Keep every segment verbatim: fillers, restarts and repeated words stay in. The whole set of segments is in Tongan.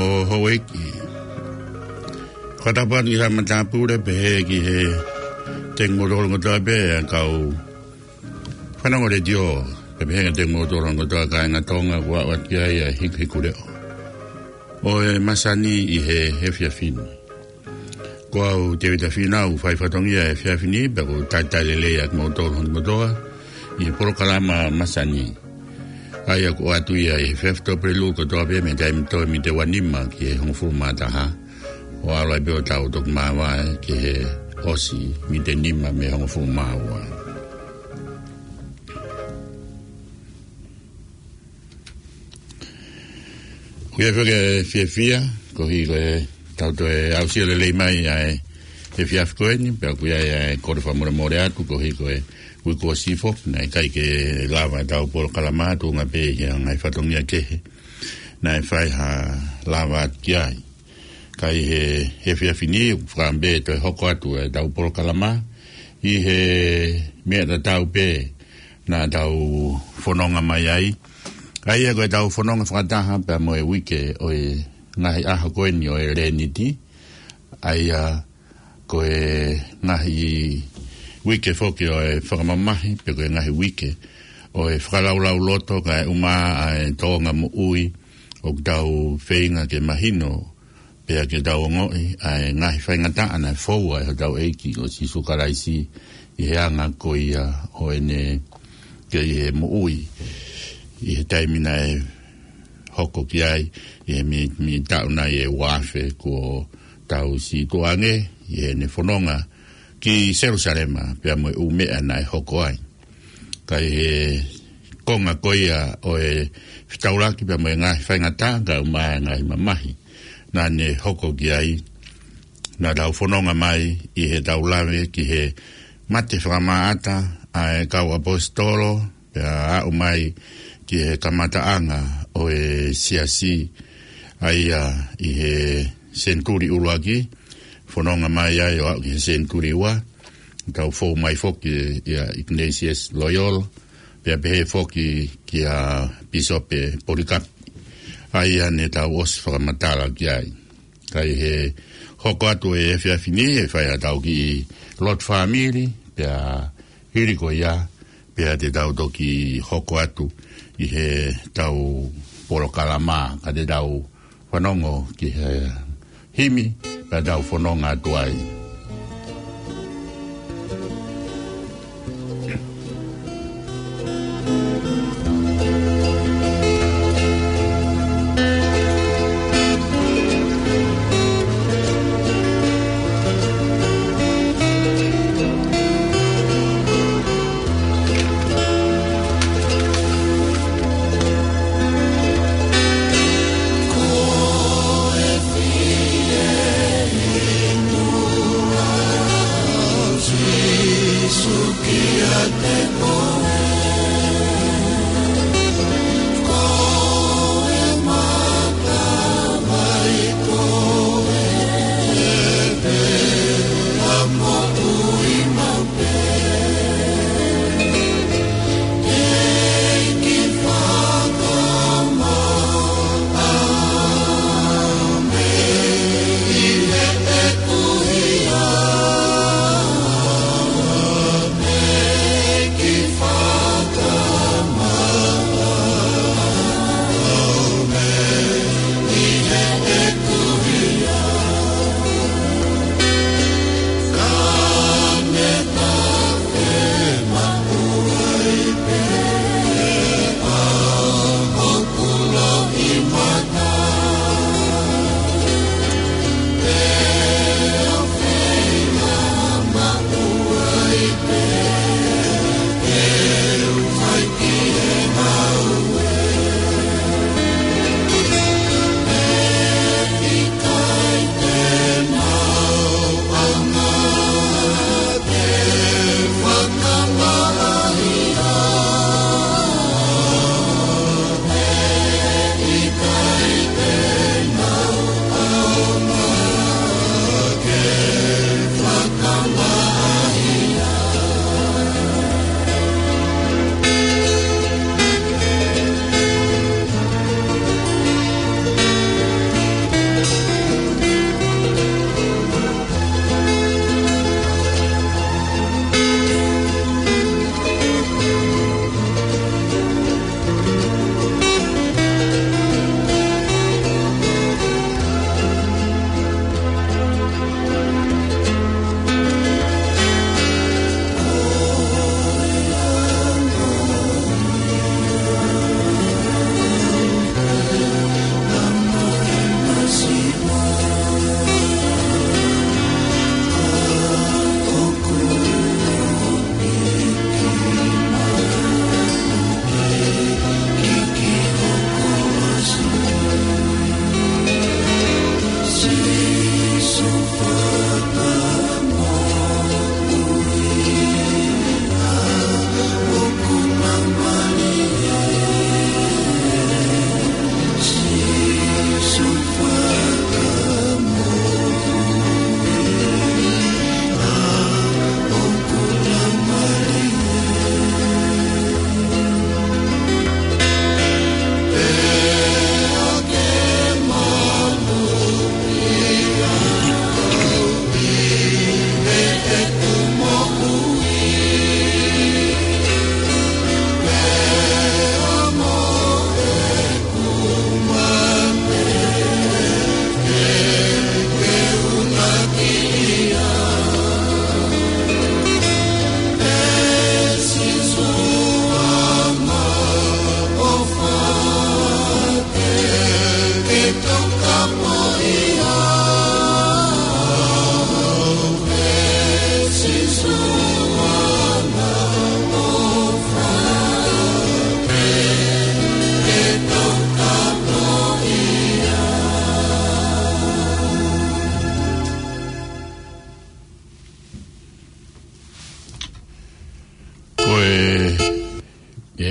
ʻo houʻeiki. Ko e tapu atu ki he matāpule pehē ki he tengi motolo kotoa pē ʻa e kau fanongo letiō, pea pehē ki he tengi motolo kotoa kāinga Tonga kuo aʻu atu ki ai ʻa e hikuhikuleʻo ʻo e masani ʻi he efiafi ni. Ko au Tēvita Fīnau, fai fatongia he efiafi ni, pea ʻoku ou talitali lelei ʻa kimoutolu hono kotoa ʻi he polokalama masani. ʻA ia ʻoku ʻoatu ia ʻi he efiafi Tuʻapulelulu kotoa pē mei he taimi toe mei he ua nima ki he hongofulu mā taha. ʻO ʻalu ai pē ʻo tau toki māvae ki he ʻosi mei he nima mei he hongofulu mā ua. ʻOku ʻi ai foki e fiefia, koeʻuhi ko e tau toe aʻusia lelei mai ʻa e efiafi ko eni, pea ʻoku ʻi ai ʻa e kole fakamolemole atu, koeʻuhi ko e uike kuo ʻosi foki, naʻe ʻikai ke lava ʻetau polokalama tuʻunga pē ʻi he ngaahi fatongia kehe naʻe fai ha lava atu ki ai. Ka ʻi he, he efiafi ni, ʻoku fakaʻamu pē toe hoko atu ʻetau polokalama ʻi he meʻa tatau pē naʻa tau fononga mai ai. ʻA ia ko ʻetau fononga fakataha pea mo e uike ʻo e ngaahi ʻaho ko eni ʻo e Leniti. ʻA ia ko e ngaahi uike foki ʻo e fakamamahi, pe ko e ngaahi uike ʻo e fakalaulauloto kae ʻumaʻā ʻa e tōʻonga moʻui ʻoku tau feinga ke mahino, pea ke tau ongoʻi ʻa e ngaahi faingataʻa naʻe foua ʻe hotau ʻEiki ko Sīsū Kalaisi ʻi he anga ko ia ʻo ʻene kei he moʻui ʻi he taimi naʻe hoko ki ai, ʻi he mei, mei taʻu nai ʻe ua afe kuo tau situʻa ange, ʻi heʻene fononga ki Selusalema, pea mo e ʻū meʻa naʻe hoko ai. Ka ʻi he konga ko ia ʻo e fetaulaki pea mo e ngaahi faingataʻa kae ʻumaʻā e ngaahi mamahi naʻa ne hoko ki ai, naʻa tau fononga mai ʻi heʻetau lave ki he mate fakamaʻata ʻa e kau ʻaposetolo, pea aʻu mai ki he kamataʻanga ʻo e siasi, ʻa ia ʻi he senituli ʻuluaki, fononga mai ai ʻo aʻu ki he senituli ua, tau fou mai foki ʻia Ignatius Loyola, pea pehē foki kia Pīsope Polikapi, ʻa ia ne tau ʻosi fakamatala ki ai. Ka ʻi he hoko atu e efiafi ni, ʻe fai haʻatau kiʻi lotu fāmili, pea hili ko ia, pea te tau toki hoko atu ʻi heʻetau polokalama, ka te tau fanongo ki he himi, pea tau fononga atu ai.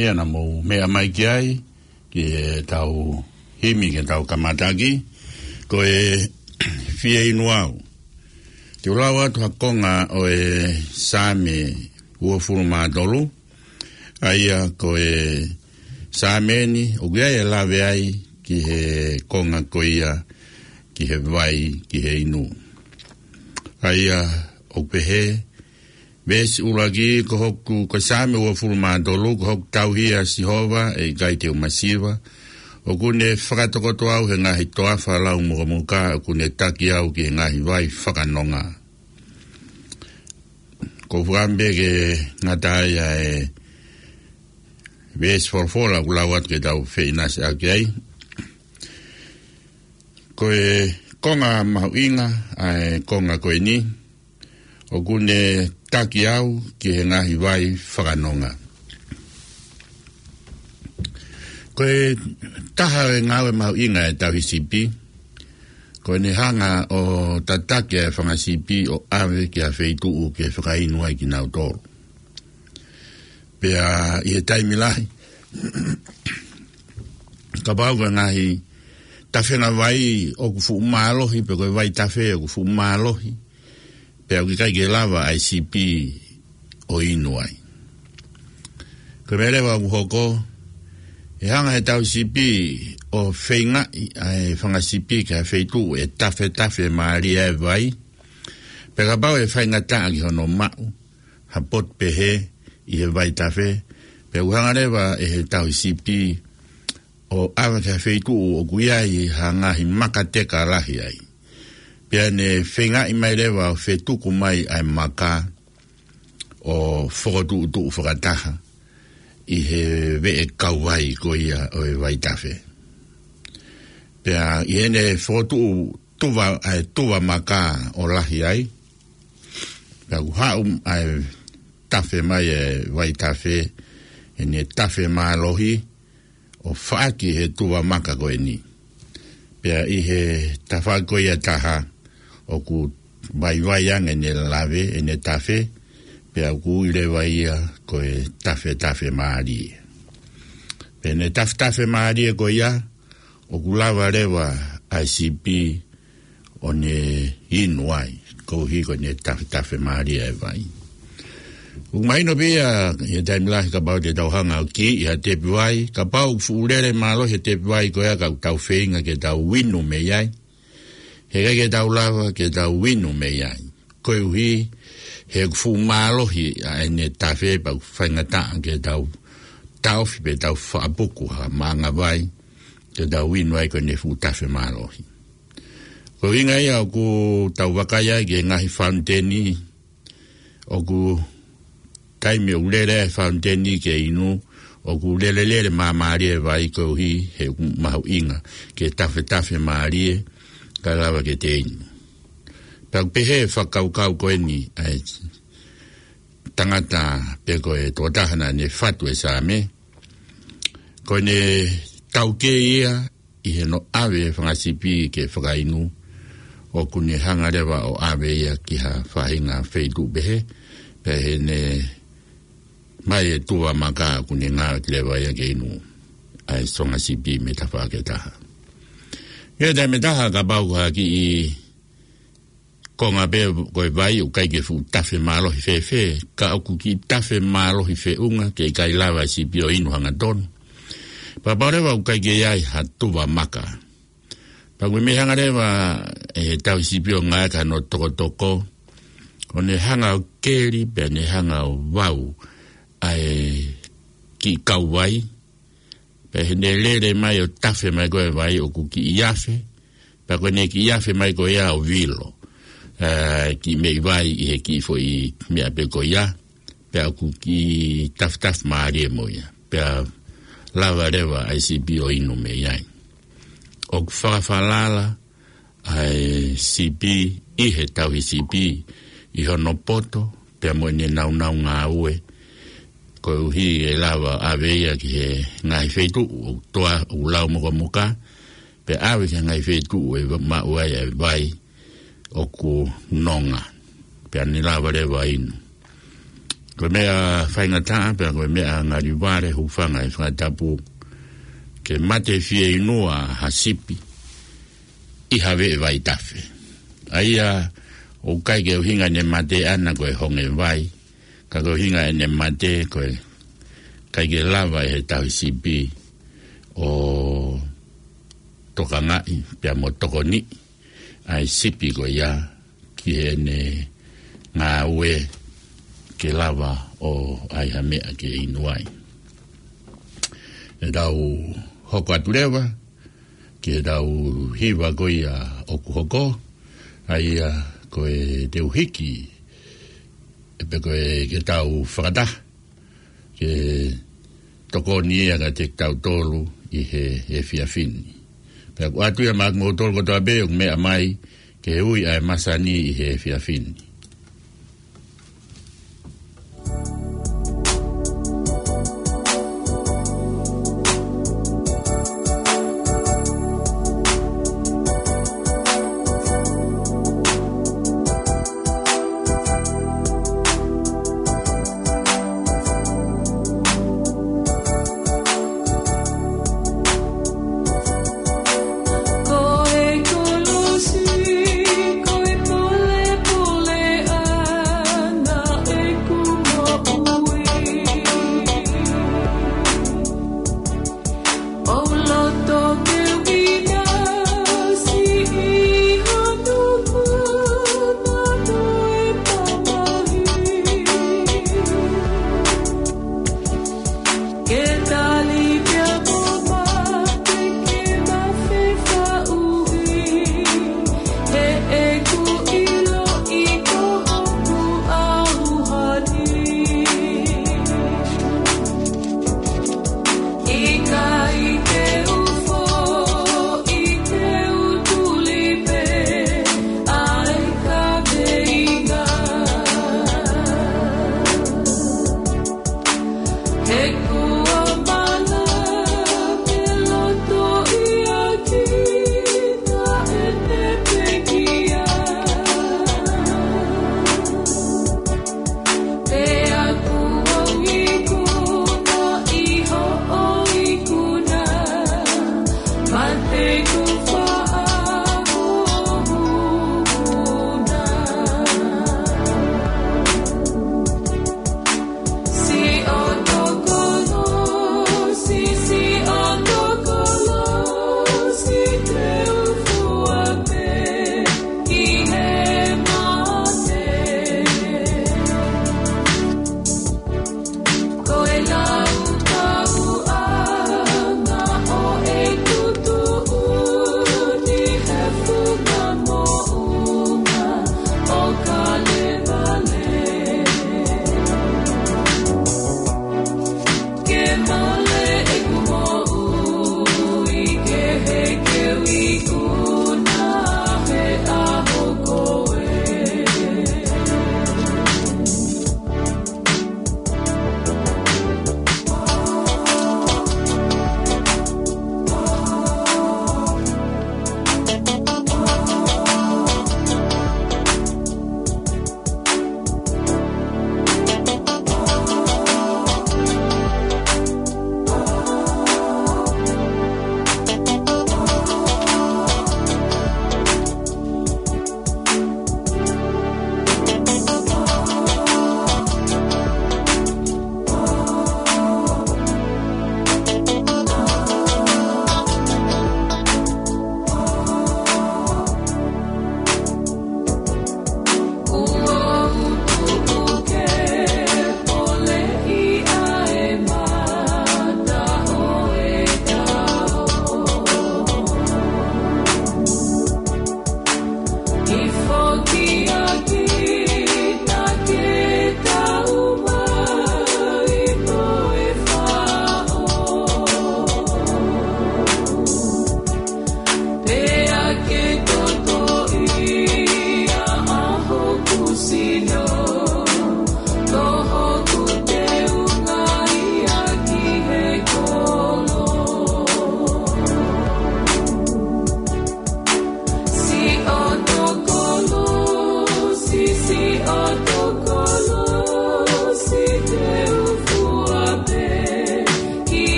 Ia naʻa mou meʻa mai ki ai, ki heʻetau himi ke tau kamata ʻaki, ko e Fie Inu Au. Te u lau atu ha konga ʻo e Saame uofulu mā tolu, ʻa ia ko e Saame ni, ʻoku ʻi ai e lave ai ki he konga ko ia, ki he vai, ki he inu. ʻA ia ʻoku pehē, veesi ʻuluaki, ko hoku, ko e Saame uofulu mā tolu, ko hoku tauhi ʻa Sihova, ʻe ʻikai te u masiva. ʻOku ne fakatokoto au he ngaahi toafa lau mukamuka, ʻoku ne taki au ki he ngaahi vai fakanonga. Ko e fakaʻamu pē ke ngata ai ʻa e veesi folofola ʻoku lau atu ke tau feʻinasiʻaki ai. Ko e konga mahuʻinga ʻa e konga ko eni, ʻoku ne taki au ki he ngaahi vai fakanonga. Ko e taha ʻo e ngāue mahuʻinga ʻa e tauhi sipi, ko ʻene hanga ʻo tataki ʻa e fanga sipi ʻo ʻave ki ha feituʻu ke fakainu ai kinautolu. Pea ʻi he taimi lahi, kapau ko e ngaahi tafenga vai ʻoku fuʻu mālohi, pe ko e vaitafe ʻoku fuʻu mālohi, pea ʻoku ʻikai ke lava ʻa e sipi ʻo inu ai. Ko e meʻa leva ʻoku hoko, ʻe hanga he tauhi sipi ʻo feingaʻi ʻa e fanga sipi ki ha feituʻu ʻe tafetafe mālie ai e vai, pea kapau ʻe faingataʻa ki hono maʻu ha potu pehē ʻi he vaitafe, pea ʻoku hanga leva ʻe he tauhi sipi ʻo ʻave ki ha feituʻu ʻoku ʻi ai ha ngaahi maka teka lahi ai. Pea ne feingaʻi mai leva ʻo fetuku mai ʻa e maka ʻo fokotuʻutuʻu fakataha ʻi he veʻe kauvai ko ia ʻo e vaitafe. Pea ʻi heʻene fokotuʻu tuva, ʻa e tuva maka ʻo lahi ai, pea ʻoku haʻu ʻa e tafe mai e vaitafe, ʻene tafe mālohi, ʻo faʻaki he tuva maka ko eni. Pea ʻi he tafaʻaki ko ia ʻe taha, ʻoku vaivai ange ʻene lave, ʻene tafe, pea ʻoku ui leva ia ko e tafetafe mālie. Pea ʻene tafetafe mālie ko ia, ʻoku lava leva ʻa e sipi ʻo ne inu ai, koeʻuhi ko ʻene tafetafe mālie e vai. ʻOku mahino pē ia, ʻi he taimi lahi kapau te tau hanga ʻo kiʻi ha tepi vai, kapau ʻoku fuʻu lele mālohi e tepi vai ko ia ka ʻoku tau feinga ke tau inu mei ai, heʻikai ke tau lava ke tau inu mei ai. Koeʻuhi he ʻoku fuʻu mālohi ʻa ʻene tafe pea ʻoku faingataʻa ke tau taofi pe tau faʻapuku ha maʻanga vai, ke tau inu ai ko ʻene fuʻu tafe mālohi. Ko e ʻuhinga ia ʻoku tau vakai ai ki he ngaahi fauniteni, ʻoku taimi ʻoku lele ai e fauniteni ke inu, ʻoku lelelele māmālie e vai koeʻuhi he ʻoku mahuʻinga ke tafetafe mālie, kae lava ke te inu. Pea ʻoku pehē fakakaukau ko eni ʻa e tangata pe ko e tokotaha naʻa ne fatu e Saame, ko ʻene taukei ia ʻi heʻene ʻave e fanga sipi ke fakainu, ʻoku ne hanga leva ʻo ʻave ia ki ha faʻahinga feituʻu pehē, pea ʻi heʻene mai e tuva maka ʻoku ne ngāueʻaki leva ia ke inu ʻa e fanga sipi mei he tafaʻaki ʻe taha. ʻI he taimi ʻe taha kapau ko ha kiʻi konga pē ko e vai ʻoku ʻikai ke fuʻu tafe mālohi fēfē, ka ʻoku kiʻi tafe mālohi feʻunga ke ʻikai lava e sipi ʻo inu hangatonu. Pea kapau leva ʻoku ʻikai ke ʻi ai ha tuva maka, pea ʻoku mei hanga leva e tauhi sipi ʻo ngāueʻaki hano tokotoko, ʻo ne hanga ʻo keli, pea ne hanga ʻo vau ʻa e kiʻi kauvai, pea ʻi heʻene lele mai ʻo tafe mai ko ē e vai ʻoku kiʻi afe, pea ko ʻene kiʻi afe mai ko ia ʻo vilo ʻa e kiʻi meʻi vai ʻi he kiʻi foʻi meʻa pē ko ia, pea ʻoku kiʻi tafetafe mālie mo ia. Pea lava leva ʻa e sipi ʻo inu mei ai. ʻOku fakafalala ʻa e sipi ʻi he tauhi sipi ʻi hono poto, pea mo ʻene naunau ngāue, koeʻuhi ʻe lava ʻave ia ki he ngaahi feituʻu ʻoku toa, ʻoku lau mukamuka, pea ʻave ki he ngaahi feituʻu ʻe maʻu ai e vai ʻoku nonga, pea ne lava leva inu. Ko e meʻa faingataʻa, pea ko e meʻa ngali vale, hūfanga he fakatapu, ke mate fieinua ha sipi ʻi ha veʻe vaitafe. ʻA ia, ʻoku ʻikai ke ʻuhinga ʻene mate ʻana ko e honge vai, ka ko e ʻuhinga ʻene mate ko e ʻikai ke lava ʻe he tauhi sipi ʻo tokangaʻi, pea mo tokoniʻi ʻa e sipi ko ia ki heʻene ngāue ke lava ʻo ʻai ha meʻa ke inu ai. ʻE tau hoko atu leva ki heʻetau hiva ko ia ʻoku hoko, ʻa ia ko e Te U Hiki, ʻe pe ko e Ke Tau Fakataha, ke tokoni ia kiate kitautolu ʻi he, he efiafi ni. Pea ʻoku ʻoatu ia maʻa kimoutolu kotoa pē ʻoku meʻa mai ki he ui ʻa e masani ʻi he efiafi ni.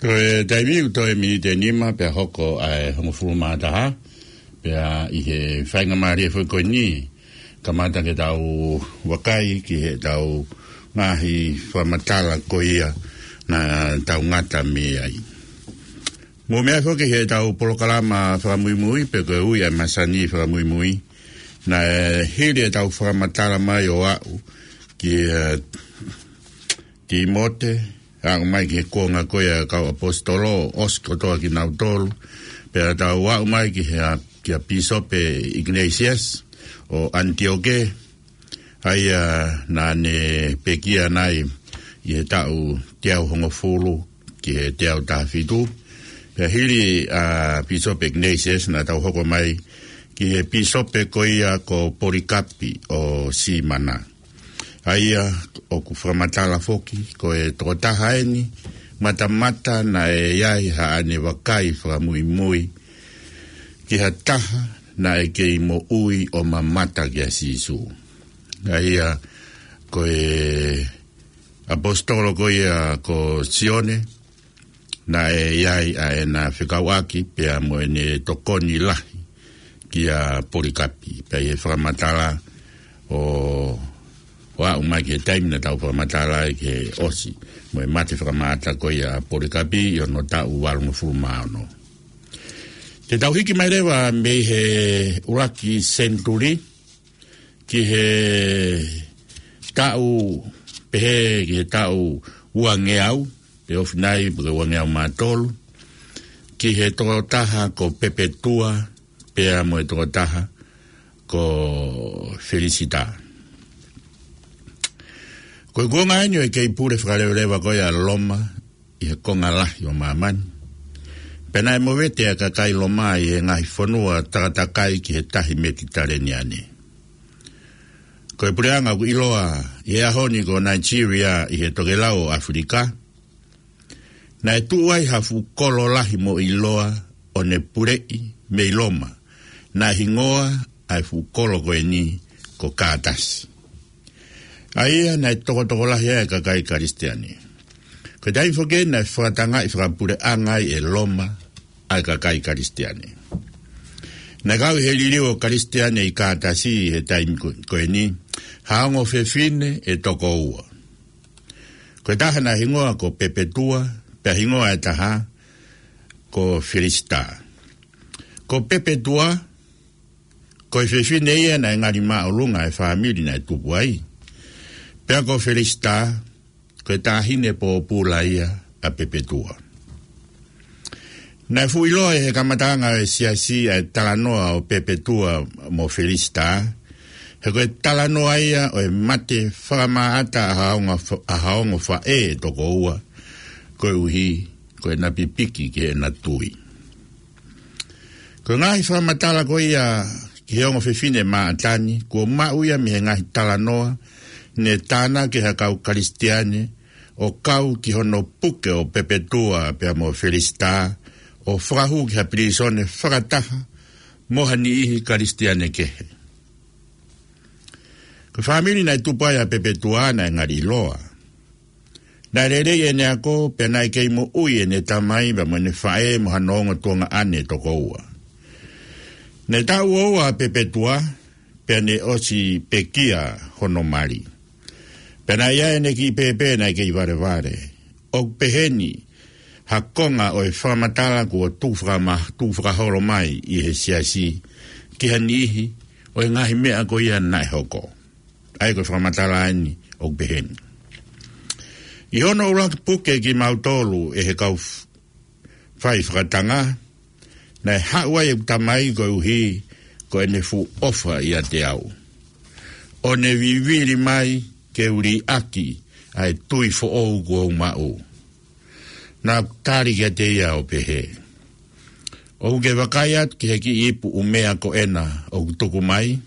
Ko e taimi ʻoku toe miniti ʻe nima pea hoko ʻa e hongofulu mā taha, pea ʻi he faingamālie foki ko eni, kamata ke tau vakai ki heʻetau ngaahi fakamatala ko ia naʻa tau ngata mei ai. Mou meaʻi foki heʻetau polokalama fakamuimui pe ko e ui ʻa e masani fakamuimui, naʻe hili ʻetau fakamatala mai ʻo aʻu ki, eh, Tīmote, aʻu mai ki he kuonga ko ia ʻo e kau ʻaposetolo, ʻosi kotoa kinautolu, pea tau aʻu mai ki he, kia Pīsope Ignatius ʻo ʻAnitioke, ʻa ia naʻa ne pekia nai ʻi he taʻu teau hongofulu ki he teau taha fitu. Pea hili ʻa Pīsope Ignatius naʻa tau hoko mai ki he pīsope ko ia ko Polikapi ʻo Simana. ʻA ia ʻoku fakamatala foki, ko e tokotaha eni, matamata naʻe ʻi ai haʻane vakai fakamuimui ki ha taha naʻe kei moʻui ʻo mamata kia Sīsū. ʻA ia ko e ʻaposetolo ko ia ko Sione, naʻe ʻi ai ʻa ʻena fekauʻaki pea mo ʻene tokoni lahi kia Polikapi. Pea ʻi he fakamatala ʻo, ʻo aʻu mai ki he taimi naʻa tau fakamatala ai ki he ʻosi mo e mate fakamaʻata ko ia ʻa Polikapi ʻi hono taʻu valungofulu mā ono. Te tau hiki mai leva mei he ʻuluaki senituli ki he taʻu, pehē ki he taʻu uangeau, pe ofi nai pe ko e uangeau mā tolu, ki he tokotaha ko Pepetua, pea mo e tokotaha ko Felisitā. Ko e kuonga eni ʻo e kei pule fakaleveleva ko ia ʻa Loma ʻi he konga lahi ʻo māmani. Pea naʻe movete ʻa e kakai Loma ʻi he ngaahi fonua takatakai ki he tahi Metitaleniane. Ko e puleʻanga ʻoku ʻiloa ʻi he ʻaho ni ko Nigeria ʻi he tokelau ʻo ʻAfilika, naʻe tuʻu ai ha fuʻu kolo lahi mo ʻiloa ʻo ne puleʻi mei Loma, naʻe hingoa ʻa e fuʻu kolo ko eni ko Kātasi. ʻA ia naʻe tokotokolahi ai ʻa e kakai Kalisitiane. Ko e taimi foki eni naʻe fakatangaʻi fakapuleʻanga ai ʻe Loma ʻa e kakai Kalisitiane. Naʻe kau ʻi he liliu ʻo Kalisitiane ʻi Kātasi he taimi ko, ko eni, ha ongo fefine ʻe toko ua. Ko e taha naʻe hingoa ko Pepetua, pea hingoa ʻe taha ko Felisitā. Ko Pepetua, ko e fefine ia naʻe ngali māʻolunga ʻa e fāmili naʻe tupu ai. Pea ko Felisitā, ko e taʻahine pōpula ia ʻa Pepetua. Naʻe fuʻu ʻiloa ʻi he kamataʻanga ʻo e siasi ʻa e talanoa ʻo Pepetua mo Felisitā, he ko e talanoa ia ʻo e mate fakamaʻata ʻa ha ongo fa-, ʻa ha ongo faʻē ʻe toko ua, koeʻuhi ko ʻena pipiki ki heʻena tui. Ko e ngaahi fakamatala ko ia ki he ongo fefine Maʻatani, kuo maʻu ia mei he ngaahi talanoa ne tānaki ʻe ha kau Kalisitiane ʻo kau ki hono puke ʻo Pepetua pea mo Felisitā, ʻo fakahū ki ha pilīsone fakataha mo ha niʻihi Kalisitiane kehe. Ko e fāmili naʻe tupu ai ʻa Pepetua naʻe ngali ʻiloa. Naʻe lelei ʻene ako, pea naʻe kei moʻui ʻene tamai pea mo ʻene faʻē mo hano ongo tuongaʻane ʻe toko ua. Naʻe taʻu ua ua ʻa Pepetua, pea ne ʻosi pekia hono mali. Pea naʻe ʻi ai ʻene kiʻi pēpē naʻe kei valevale. ʻOku peheni ha konga ʻo e fakamatala kuo tuʻu fakama-, tuʻu fakaholo mai ʻi he siasi ki ha niʻihi ʻo e ngaahi meʻa ko ia naʻe hoko. ʻA ia ko e fakamatala eni ʻoku peheni. ʻI hono ʻuluaki puke kimautolu ʻe he kau f-, fai fakatanga, naʻe haʻu ai ʻeku tamai koeʻuhi ko ʻene fuʻu ʻofa ʻiate au, ʻo ne vivili mai ke u liʻaki ʻa e tui foʻou kuo u maʻu. Naʻá ku tali kiate ia ʻo pehē, ʻOkú ke vakai atu ki he kiʻi ipu ʻumea ko ena ʻoku tuku mai?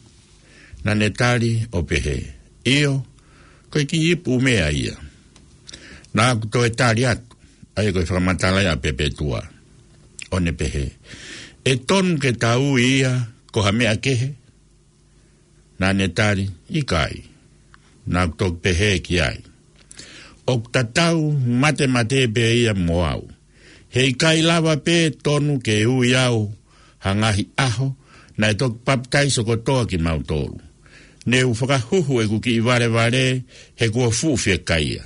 Naʻá ne tali ʻo pehē, ʻIo, ko e kiʻi ipu ʻumea ia. Naʻá ku toe tali atu, ʻa ia ko e fakamatala ia ʻa Pepetua, ʻo ne pehē, ʻE tonu ke ta ui ia ko ha meʻa kehe? Naʻá ne tali, ʻIkai. Naʻá ku toki pehē ki ai, ʻOku tatau matematē pē ia mo au. He ʻikai lava pē tonu ke ui au ha ngaahi ʻaho naʻe toki papitaiso kotoa kimautolu. Ne u fakahuhu ʻeku kiʻi valevale he kuo fuʻu fiekaia.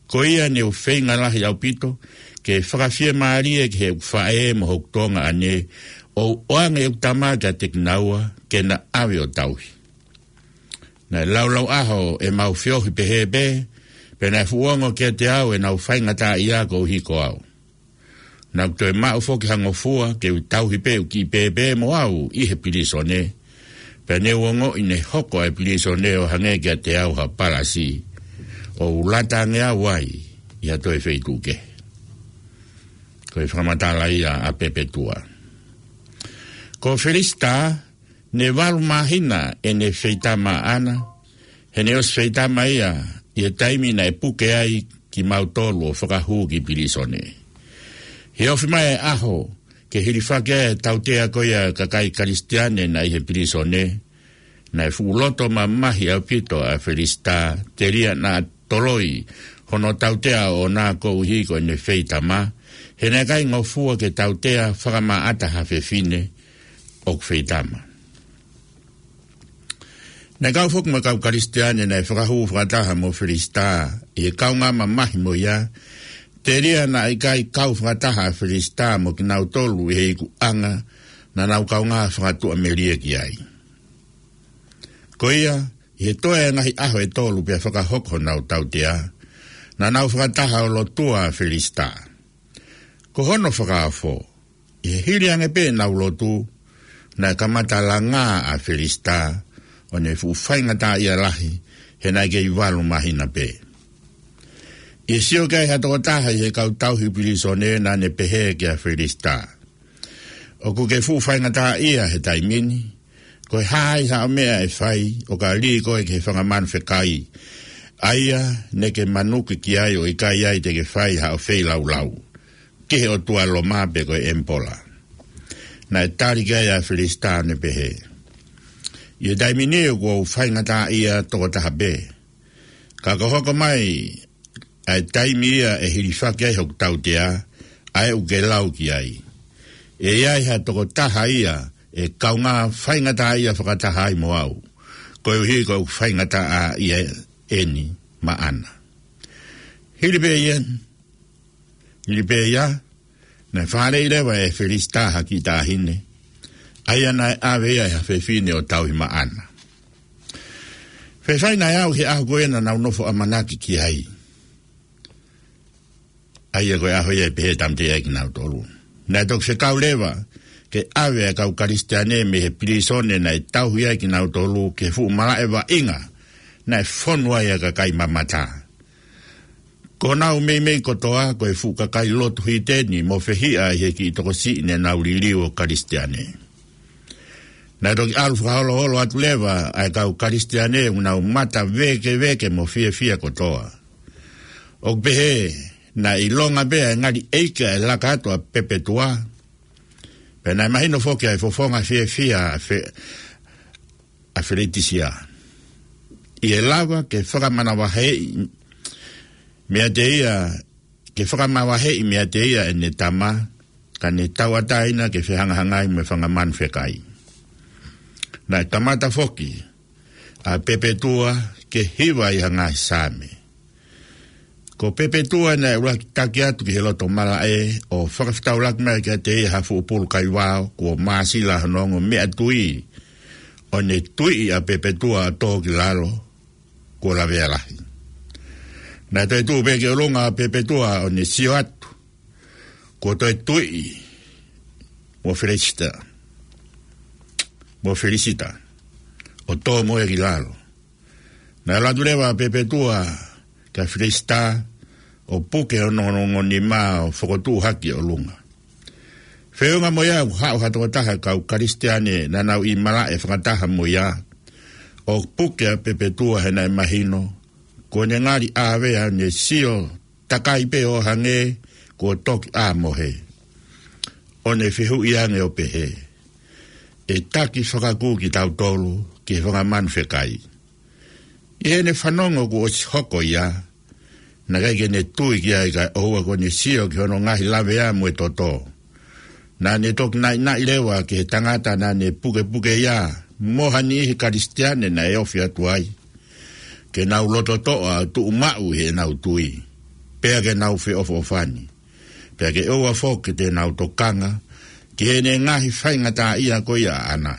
Ko ia ne u feinga lahi ʻaupito ke fakafiemālie ki heʻeku faʻē mo hoku tuongaʻane, ʻo u ʻoange ʻeku tama kiate kinaua ke na ʻave ʻo tauhi. Naʻe laulau ʻaho ʻemau feohi pehē pē, pea naʻe fuʻu ongo kiate au ʻenau faingataʻaʻia koeʻuhi ko au. Naʻá ku toe maʻu foki ha ngofua ke u tauhi pē ʻeku kiʻi pēpē mo au ʻi he pilīsone. Pea ne u ongoʻi ne hoko ʻa e pilīsone ʻo hangē kiate au ha palasi, ʻo u lata ange au ai ʻi ha toe feituʻu kehe. Ko e fakamatala ia ʻa Pepetua. Ko Felisitā, ne valu māhina ʻene feitama ʻaʻana, he ne ʻosi feitama ia ʻi he taimi naʻe puke ai kimautolu ʻo fakahū ki pilīsone. He ofi mai e ʻaho ke hilifaki ai e tautea ko ia ʻa e kakai Kalisitiane naʻe ʻi he pilīsone, naʻe fuʻu loto mamahi ʻaupito ʻa Felisitā, telia naʻa toloi hono tautea ʻoʻona koeʻuhi ko ʻene feitama, he naʻe ʻikai ngofua ke tautea fakamaʻata ha fefine ʻoku feitama. Naʻe kau foki mo e kau Kalisitiane naʻe fakahū fakataha mo Felisitā ʻi he kaungā mamahi mo ia, telia naʻe ʻikai kau fakataha ʻa Felisitā mo kinautolu ʻi he ikuʻanga naʻa nau kaungā fakatuʻamelie ki ai. Ko ia, ʻi he toe ngaahi ʻaho ʻe tolu pea fakahoko honau tautea, naʻa nau fakataha ʻo lotua ʻa Felisitā. Ko hono fakaofo, ʻi he hili ange pē ʻenau lotu, naʻe kamata langā ʻa Felisitā, ʻo ne fuʻu faingataʻaʻia lahi, he naʻe kei valu māhina pē. ʻI he sio ki ai ha tokotaha ʻi he kau tauhi pilīsone, naʻá ne pehē kia Felisitā, ʻOkú ke fuʻu faingataʻaʻia he taimi ni. Ko e hā ai haʻo meʻa ʻe fai ʻo ka lī koe ki he fanga manu fekai, ʻa ia ne ke manuki ki ai ʻo ʻikai ai te ke fai haʻo feilaulau ki he ʻotua Loma pe ko e ʻEmipola? Naʻe tali ki ai ʻa Felisitā ʻo ne pehē, ʻI he taimi ni ʻoku ou faingataʻaʻia tokotaha pē. Ka ko e hoko mai ʻa e taimi ia ʻe hilifaki ai hoku tautea, ʻa ē ʻokú ke lau ki ai, ʻe ʻi ai ha tokotaha ia ʻe kaungā faingataʻaʻia fakataha ai mo au, koeʻuhi ko ʻeku faingataʻaʻia eni maʻana. Hili pē ia, hili pē ia, naʻe fāʻeleʻi leva ʻe Felisitā ha kiʻi taʻahine, ʻa ia naʻe ʻave ia ʻe ha fefine ʻo tauhi maʻana. Faifai naʻe aʻu ki he ʻaho ko ē naʻa nau nofo ʻamanaki ki ai, ʻa ia ko e ʻaho ia ʻe pehē tāmateʻi ai kinautolu. Naʻe toki fekau leva ke ʻave ʻa e kau Kalisitiane mei he pilīsone naʻe tauhi ai kinautolu ki he fuʻu malaʻe vaʻinga naʻe fonu ai ʻa e kakai mamata. Ko honau meimei kotoa ko e fuʻu kakai lotu hiteni mo fehiʻa ʻi he kiʻi tokosiʻi ne nau liliu ʻo Kalisitiane. Naʻe toki ʻalu fakaholoholo atu leva ʻa e kau Kalisitiane ʻoku nau mata vēkeveke mo fiefia kotoa. ʻOku pehē naʻe ʻilonga pē ʻa e ngali ʻeiki ʻa e laka atu ʻa Pepetua, pea naʻe mahino foki ʻa e fofonga fiefia ʻa Fe-, ʻa Feletisia, ʻi he lava ke fakamavaheʻi meiate ia, ke fakamavaheʻi meiate ia ʻene tama, ka ne tauʻatāina ke fehangahangai mo e fanga manu fekai. Naʻe kamata foki ʻa Pepetua ke hiva ʻi ha ngaahi saame. Ko Pepetua naʻe ʻuluaki taki atu ki he loto malaʻe ʻo fakafetaulaki mai kiate ia ha fuʻu pulu kaivao kuo māsila hono ongo meʻatui, ʻo ne tuiʻi ʻa Pepetua ʻo tō ki lalo, kuo lavea lahi. Naʻe toe tuʻu pē ki ʻolunga ʻa Pepetua ʻo ne sio atu, kuo toe tuiʻi mo Felisitā. mo Felisita, ʻo tō mo ia ki lalo. Naʻe ʻalu atu leva ʻa Pepetua kia Felisita, ʻo puke hono ongoongo nima ʻo fokotuʻu hake ʻi ʻolunga. Feʻunga mo ia, ʻoku haʻu ha tokotaha ʻo e kau Kalisitiane naʻa nau ʻi malaʻe fakataha mo ia, ʻo puke ʻa Pepetua he naʻe mahino kuo ne ngali ʻāvea, ne sio takai pē ʻo hangē kuo toki ʻā mohe. ʻO ne fehuʻi ange ʻo pehē, ʻE taki fakakū kitautolu ki he fanga manu fekai. ʻI heʻene fanongo kuo ʻosi hoko ia, naʻe ʻikai ke ne tui ki ai, kae ʻoua kuo ne sio ki hono ngaahi lavea mo e toto. Naʻa ne toki naʻinaʻi leva ki he tangata naʻa ne pukepuke ia mo ha niʻihi Kalisitiane naʻe ofi atu ai, ke nau loto toʻa ʻo tuʻu maʻu ʻi heʻenau tui, pea ke nau feʻofoʻofani, pea ke ʻoua foki ke nau tokanga ki heʻene ngaahi faingataʻaʻia ko ia ʻaʻana.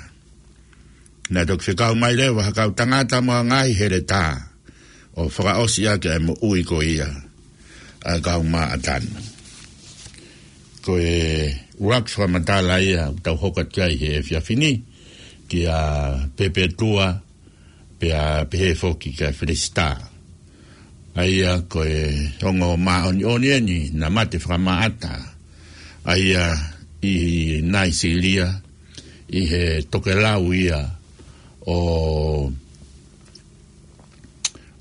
Naʻe toki fekau mai leva ha kau tangata mo ha ngaahi heletā, ʻo fakaʻosi ʻaki ʻa e moʻui ko ia ʻa e kau Māʻatani. Ko e ʻuluaki fakamatala ia ʻoku tau hoko atu ai he efiafi ni, kia Pepetua, pea pehē foki kia Felisita. ʻA ia ko e ongo māʻoniʻoni eni naʻe mate fakamaʻata ʻa ia ʻi Naisīlia, ʻi he tokelau ia ʻo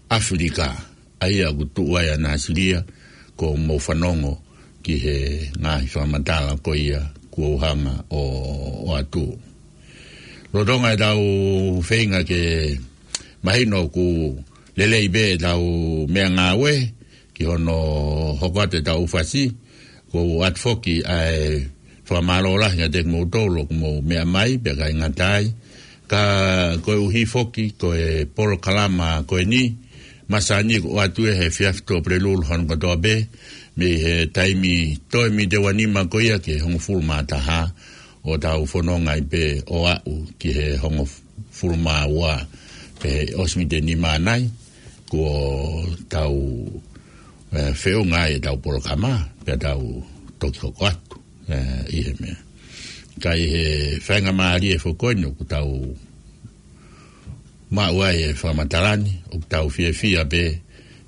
ʻAfilika, ʻa ia ʻoku tuʻu ai ʻa Naisīlia, kuo mou fanongo ki he ngaahi fakamatala ko ia kuo u hanga ʻo, ʻo ʻoatu. Lolotonga ʻetau feinga ke mahino ʻoku lelei pē ʻetau meʻangāue ki hono hoko atu ʻetau ʻū fasi, ʻoku ou ʻoatu foki ʻa e fakamālō lahi kiate kimoutolu ʻoku mou meʻa mai, pea ʻikai ngata ai, ka koeʻuhi foki ko e polokalama ko eni, masani ʻoku ʻoatu ia he efiafi Tuʻapulelulu hono kotoa pē, mei he taimi toe miniti ua nima ko ia ki he hongofulu mā taha, ʻo tau fononga ai pē ʻo aʻu ki he hongofulu mā ua, pea ʻosi miniti nima nai, kuo tau, ē, feʻunga ai ʻetau polokalama, pea tau toki hoko atu, ē, ʻi he meʻa. Ka ʻi he faingamālie foki ko eni ʻoku tau maʻu ai e fakamatala ni, ʻoku tau fiefia pē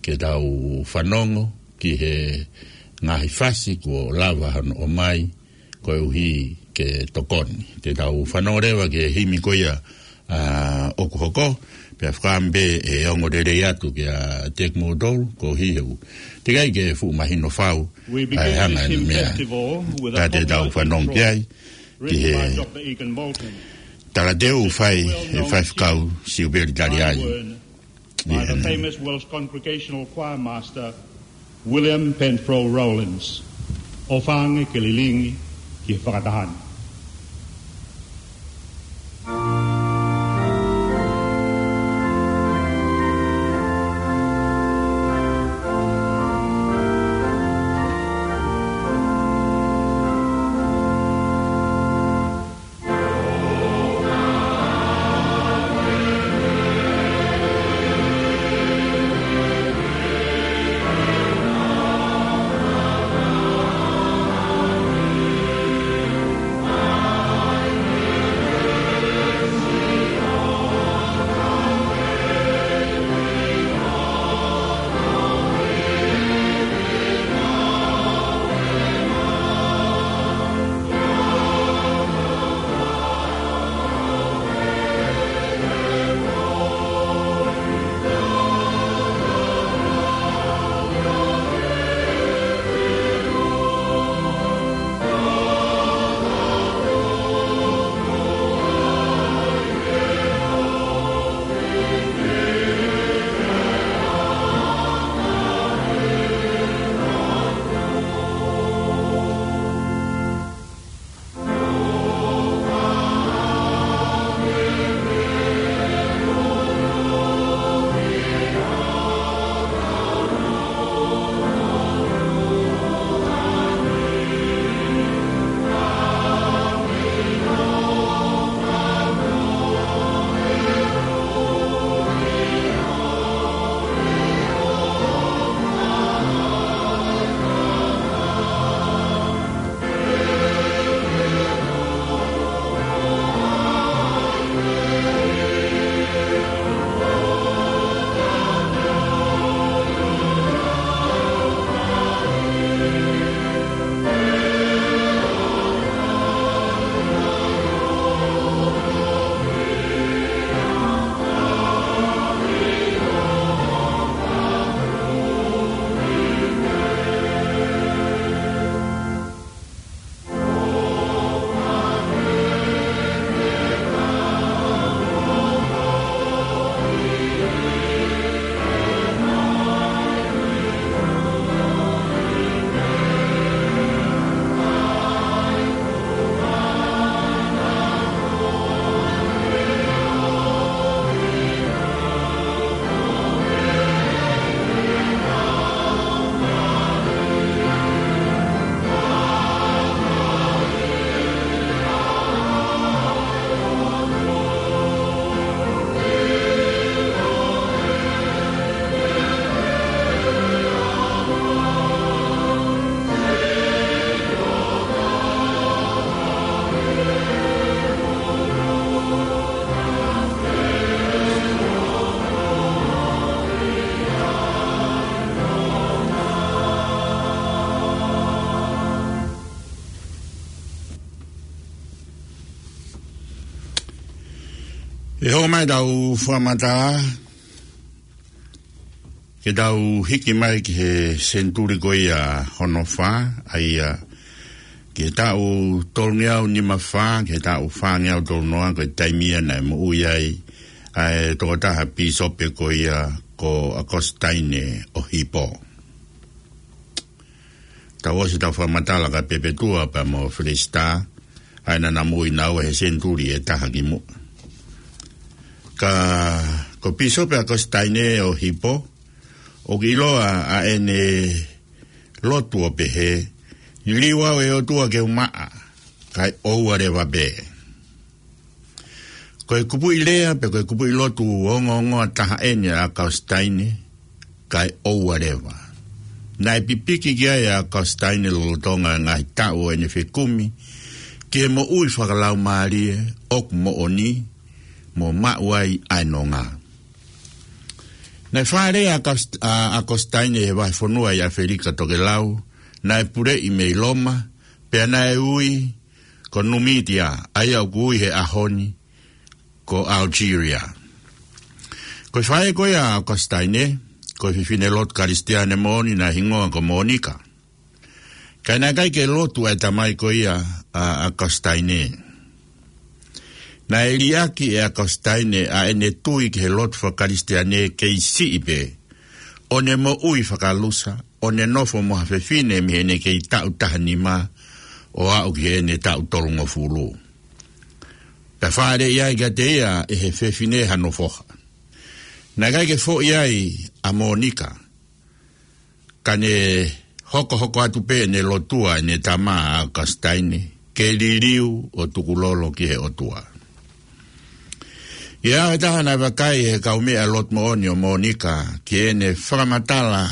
ke tau fanongo ki he ngaahi fasi kuo lava hono ʻomai, koeʻuhi ke tokoni. Te tau fanongo leva ki he himi ko ia, ā, ʻoku hoko, pea fakaʻamu pē ʻe ongo lelei atu kiate kimoutolu, koeʻuhi he ʻoku teʻeki ai ke fuʻu mahino fau ʻa e hanga ʻene meʻa. Ka te tau fanongo ki ai, ki he talateu ʻoku fai ʻe he faifekau Siupeli Taliai. By the famous Welsh Congregational Choir Master, William Penfro Rollins. ʻOfa ange ke lilingi ki he fakataha ni. ʻE hoko mai ʻetau fakamatala, ke tau hiki mai ki he senituli ko ia hono fā, ʻa ia ki he taʻu tolungeau nima fā, ki he taʻu fāngeau tolunoa, ko e taimi ia naʻe moʻui ai ʻa e tokotaha pīsope ko ia ko ʻAkositaine ʻo Hipo. Tau ʻosi ʻetau fakamatala kia Pepetua pea mo Felesitā, ʻa ia naʻa na moʻui naua he senituli ʻe taha ki muʻa. Ka ko Pīsope ʻAkositaine ʻo Hipo, ʻoku ʻiloa ʻa ʻene lotu ʻo pehē, Liliu au ʻe ʻOtua ke u maʻa, kae ʻoua leva pē. Ko e kupuʻi lea, pe ko e kupuʻi lotu ongoongoa taha ʻeni ʻa ʻAkositaine, kae ʻoua leva. Naʻe pipiki ki ai ʻa ʻAkositaine lolotonga e ngaahi taʻu ʻo ʻene fekumi ki he moʻui fakalaumālie ʻoku moʻoni, mo maʻu ai ʻa e nonga. Naʻe fālea ʻa ʻAkos-, ʻa ʻAkositaine he vahefonua ʻi ʻAfelika Tokelau, naʻe puleʻi mei Loma, pea naʻe ui ko Numitia, ʻa ia ʻoku ui he ʻaho ni ko Algeria. Ko e faʻē ko ia ʻa ʻAkositaine, ko e fefine lotu Kalisitiane moʻoni naʻe hingoa ko Mōnika. Ka naʻe ʻikai ke lotu ʻa e tamai ko ia ʻa, ʻa ʻAkositaine. Naʻe liʻaki ʻe ʻAkositaine ʻa ʻene tui ki he lotu fakakalisitiane kei siʻi pē, ʻo ne moʻui fakalusa, ʻo ne nofo mo ha fefine mei heʻene kei taʻu taha nima, ʻo aʻu ki heʻene taʻu tolungofulu. Pea fālea ai kiate ia ʻe he fefine hano foha. Naʻe ʻikai ke foʻi ai ʻa Mōnika, ka ne hokohoko atu pē ʻene lotua ʻene tama ʻa ʻAkositaine, ke liliu ʻo tukulolo ki he ʻOtua. ʻI he ʻaho ʻe taha naʻe vakai ʻe he kaumeʻa lotu moʻoni ʻo Mōnika ki heʻene fakamatala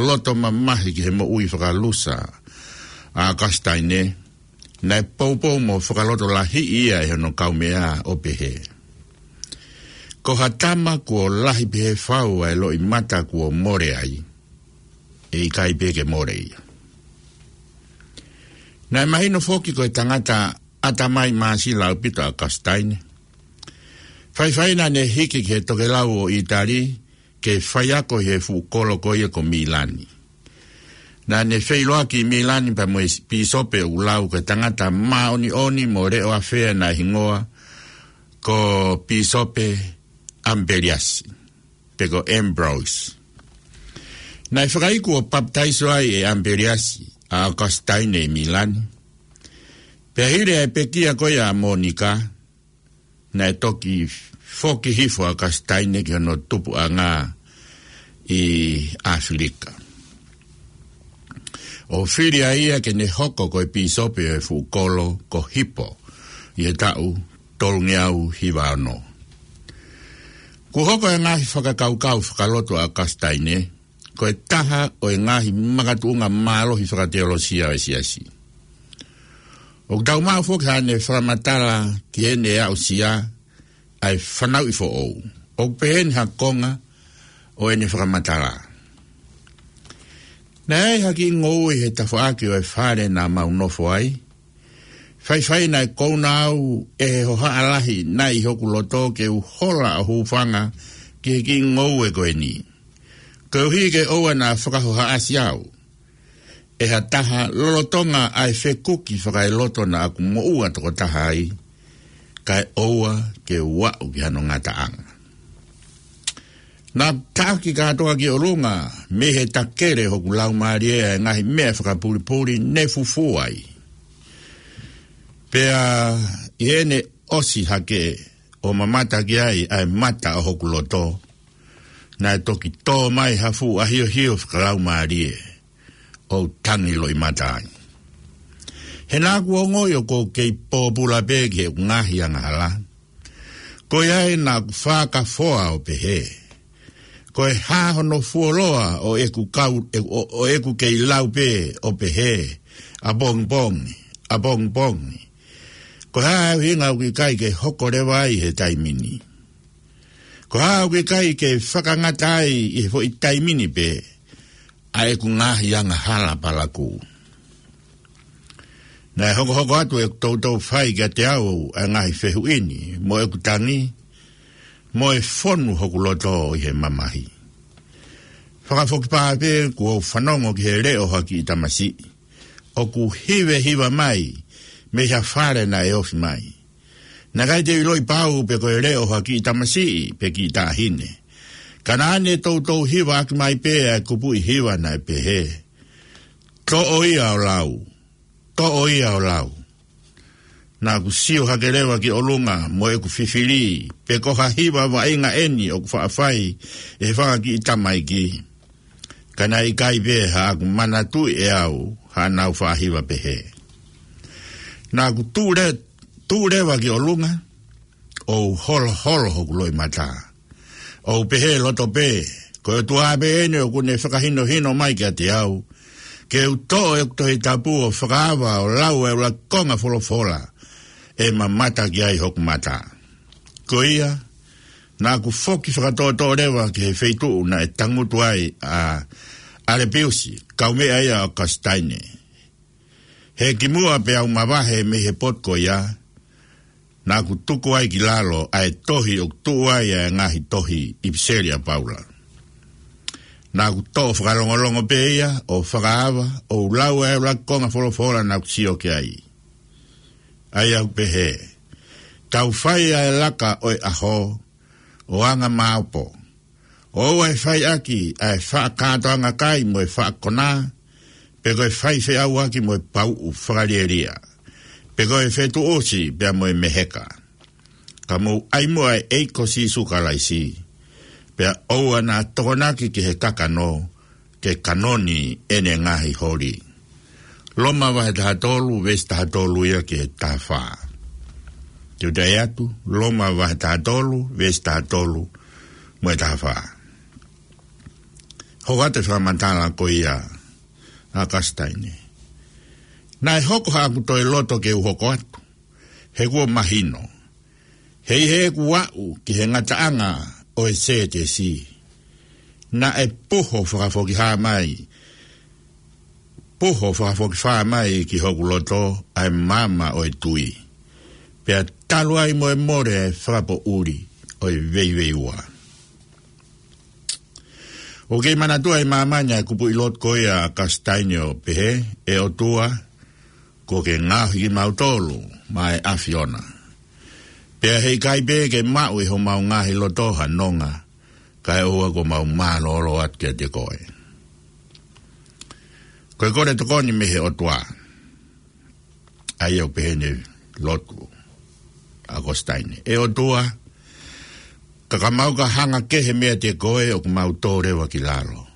loto mamahi ki he moʻui fakalusa ʻa ʻAkositaine, naʻe poupou mo fakalotolahiʻi ia ʻe hono kaumeʻa ʻo pehē, Ko ha tama kuo lahi pehē fau ʻa e loʻimata kuo mole ai, ʻe ʻikai pē ke mole ia. Naʻe mahino foki ko e tangata ʻatamai māsila ʻaupito ʻa ʻAkositaine. Faifai naʻa ne hiki ki he tokelau ʻo ʻItali, ke faiako ʻi he fuʻu kolo ko ia ko Mīlani. Naʻa ne feʻiloaki ʻi Mīlani pea mo e pīsope ʻoku lau ko e tangata māʻoniʻoni mo leʻo afea naʻe hingoa ko Pīsope ʻAmipeliasi, pe ko Ambrose. Naʻe fakaiku ʻo papitaiso ai ʻe ʻAmipeliasi ʻa ʻAkositaine ʻi Mīlani. Pea hili ʻa e pekia ko ia ʻa Mōnika, naʻe toki foki hifo ʻa ʻAkositaine ki hono tupuʻanga ʻi ʻAfilika, ʻo fili ai ia ke ne hoko ko e pīsope ʻo e fuʻu kolo ko Hipo ʻi he taʻu tolungeau hiva ono. Kuo hoko e ngaahi fakakaukau fakalotu ʻa ʻAkositaine ko e taha ʻo e ngaahi makatuʻunga mālohi fakateolosia ʻo e siasi. ʻOku tau maʻu foki haʻane fakamatala ki heʻene aʻusia ʻa e fanauʻi foʻou. ʻOku peheni ha konga ʻo ʻene fakamatala: Naʻe ʻi ai ha kiʻi ngoue he tafaʻaki ʻo e fale naʻa mau nofo ai. Faifai naʻe kouna au ʻe he hohaʻa lahi naʻe ʻi hoku loto ke u hola ʻo hūfanga ki he kiʻi ngoue ko eni, koeʻuhi ke ʻoua naʻa fakahohaʻasi au ʻe ha taha lolotonga ʻa e fekuki fakaeloto naʻa ku moʻua tokotaha ai, kae ʻoua ke u aʻu ki hano ngataʻanga. Naʻa ku taʻaki kātoa ki ʻolunga mei he takele hoku laumālie ʻa e ngaahi meʻa fakapulipuli ne fufū ai. Pea ʻi heʻene ʻosi hake ʻo mamata ki ai ʻa e mata ʻo hoku loto, naʻe toki tō mai ha fuʻu ʻahiohio fakalaumālie ʻo u tangi loʻimata ai. He naʻa ku ongoʻi ʻoku ou kei pōpula pē ki heʻeku ngaahi angahala. Ko ia ai naʻa ku fakafoa ʻo pehē: Ko e hā hono fuoloa ʻo ʻeku kau, ʻo, ʻo ʻeku kei lau pē ʻo pehē, ʻapongipongi, ʻapongipongi? Ko e hā e ʻuhinga ʻoku ʻikai ke hoko leva ai he taimi ni? Ko e hā ʻoku ʻikai ke fakangata ai ʻi he foʻi taimi ni pē ʻa ʻeku ngaahi angahala palakū? Naʻe hokohoko atu ʻeku toutou fai kiate au ʻa e ngaahi fehuʻi ni mo ʻeku tangi, mo e fonu hoku loto ʻi he mamahi. Fakafokifā pē kuo u fanongo ki he leʻo ha kiʻi tamasiʻi ʻoku hivehiva mai mei ha fale naʻe ofi mai. Naʻe ʻikai te u ʻiloʻi pau pe ko e leʻo ha kiʻi tamasiʻi pe kiʻi taʻahine. Ka naʻa ne toutou hivaʻaki mai pē ʻa e kupuʻi hiva naʻe pehē, "Toʻo ia ʻo lau. Toʻo ia ʻo lau." Naʻa ku sio hake leva ki ʻolunga mo ʻeku fifili pe ko ha hiva vaʻinga ʻeni ʻoku faʻa fai ʻe he fanga kiʻi tamaiki. Ka naʻe ʻikai pē haʻaku manatuʻi ʻe au haʻanau faʻa hiva pehē. Naʻa ku tuʻu le-, tuʻu leva ki ʻolunga, ʻo u holoholo hoku loʻimata, ʻo u pehē loto pē, "Ko e ʻOtua pē eni ʻoku ne fakahinohino mai kiate au ke u toʻo ʻeku Tohi Tapu ʻo fakaava ʻo lau ʻa e ʻuluaki konga folofola ʻe mamata ki ai hoku mata." Ko ia, naʻa ku foki fakatoʻotoʻo leva ki he feituʻu naʻe tangutu ai ʻa ʻAlepiusi, kaumeʻa ia ʻo ʻAokositaine. He kimuʻa pea u mavahe mei he potu ko ia, naʻa ku tuku ai ki lalo ʻa e tohi ʻoku tuʻu ai ʻa e ngaahi tohi ʻipiseli ʻa Paula. Naʻa ku toʻo fakalongolongo pē ia ʻo fakaava, ʻo u lau ʻa e ʻuluaki konga folofola naʻa ku sio ki ai. ʻA ia ʻoku pehē, "Tau fai ʻa e laka ʻo e ʻaho, ʻo anga maopo. ʻOua ʻe fai ʻaki ʻa e faʻa kātoanga kai mo e faʻa konā, pe ko e fai feʻauaki mo e pauʻu fakalielia, pe ko e fetuʻusi pea mo e meheka. Ka mou ʻai muʻa ʻa e ʻEiki ko Sīsū Kalaisi, pea ʻoua naʻa tokonaki ki he kakano, ke kanoni ʻene ngaahi holi." Loma vahe taha tolu, veesi taha tolu ia ki he taha fā. Te u toe ʻai atu, Loma vahe taha tolu, veesi taha tolu mo e taha fā. Hoko atu e fakamatala ko ia ʻa ʻAokositaine. Naʻe hoko haʻaku toe loto ke u hoko atu, he kuo mahino, he ʻi heʻeku aʻu ki he ngataʻanga ʻo e sētesi, naʻe puho fakafokifā mai, puho fakafokifā mai ki hoku loto ʻa e maama ʻo e tui, pea talu ai mo e mole ʻa e fakapoʻuli ʻo e veiveiua. ʻOku kei manatuʻi ʻe māmani ʻa e kupuʻi lotu ko ia ʻa ʻAokositaine ʻo pehē, "ʻE ʻOtua, kuo ke ngaohi kimautolu maʻa e ʻAfiona. Pea heʻikai pē ke maʻu ʻe homau ngaahi loto ha nonga, kae ʻoua kuo mau mālōlō atu kiate koe." Ko e kole tokoni mei he ʻOtua. ʻA ia ʻoku pehē ʻene lotu ʻa ʻAokositaine, "ʻE ʻOtua, ka ka mau ka hanga kehe meiate koe ʻoku mau tō leva ki lalo.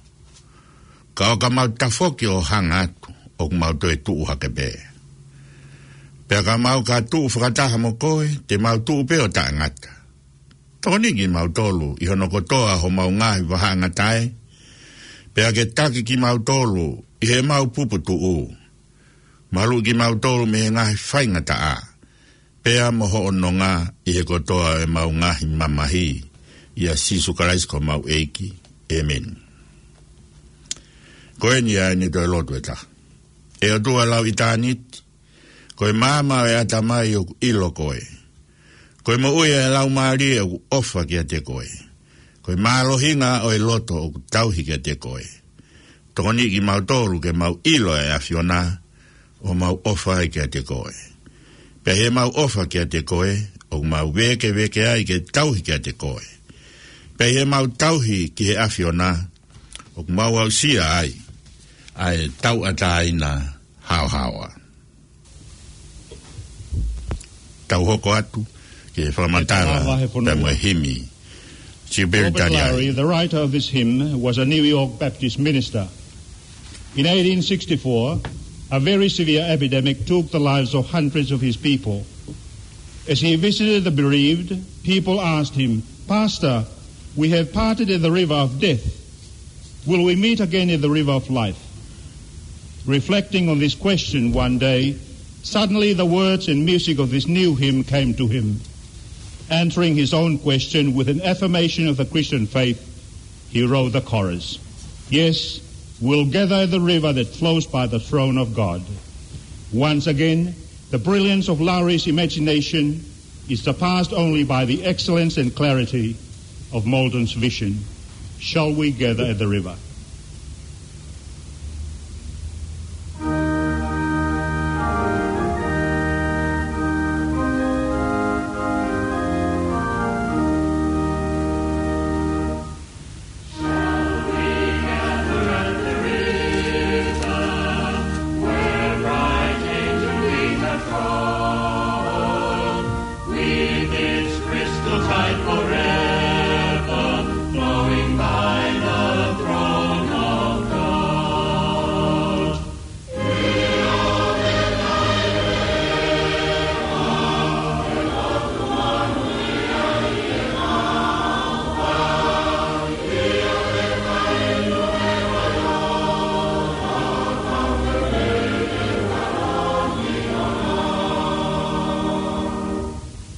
Ka ʻo ka mau tafoki ʻo hanga atu ʻoku mau toe tuʻu hake pē. Pea ka mau ka tuʻu fakataha mo koe, te mau tuʻu pē ʻo taʻengata. Tokoniʻi kimautolu ʻi hono kotoa homau ngaahi vahaʻangatae, pea ke taki kimautolu ʻi heʻemau puputuʻu. Maluʻi kimautolu mei he ngaahi faingataʻa, pea mo hoʻo nonga ʻi he kotoa ʻemau ngaahi mamahi, ʻia Sīsū Kalaisi ko homau ʻEiki. ʻĒmeni." Ko eni ʻa ʻene toe lotu ʻe taha. "ʻE ʻOtua lauʻitāniti, ko e maama ʻo e ʻatamai ʻoku ʻilo koe. Ko e moʻui ʻa e laumālie ʻoku ʻofa kiate koe. Ko e mālohinga ʻo e loto ʻoku tauhi kiate koe. Tokoniʻi kimautolu ke mau ʻilo ʻa e ʻAfiona, ʻo mau ʻofa ai kiate koe. Pea ʻi heʻemau ʻofa kiate koe, ʻoku mau vēkeveke ai ke tauhi kiate koe. Pea ʻi heʻemau tauhi ki he ʻAfiona, ʻoku mau aʻusia ai ʻa e tauʻatāina haohaoa." Tau hoko atu ki he fakamatala pea mo e himi. Siupeli Robert Taniai. Lowry, the writer of this hymn, was a New York Baptist minister. In eighteen sixty-four, a very severe epidemic took the lives of hundreds of his people. As he visited the bereaved, people asked him, "Pastor, we have parted at the river of death. Will we meet again at the river of life?" Reflecting on this question one day, suddenly the words and music of this new hymn came to him. Answering his own question with an affirmation of the Christian faith, he wrote the chorus. Yes, we'll gather at the river that flows by the throne of God. Once again, the brilliance of Lowry's imagination is surpassed only by the excellence and clarity of Maldon's vision. Shall we gather at the river? Shall we gather at the river where bright angels lead the throng? With its crystal tide forever flowing by the throne of God.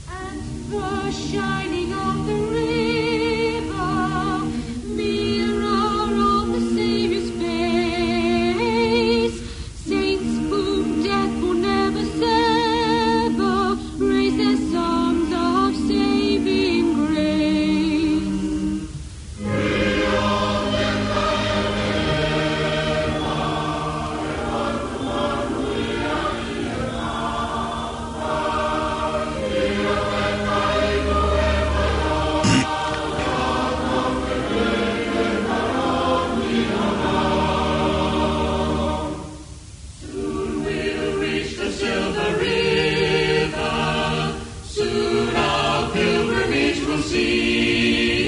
At the shining of the river, mirror of the Savior's face, saints whom death will never sever raise their songs of saving grace. Soon we'll reach the silver river. Soon our pilgrimage will cease.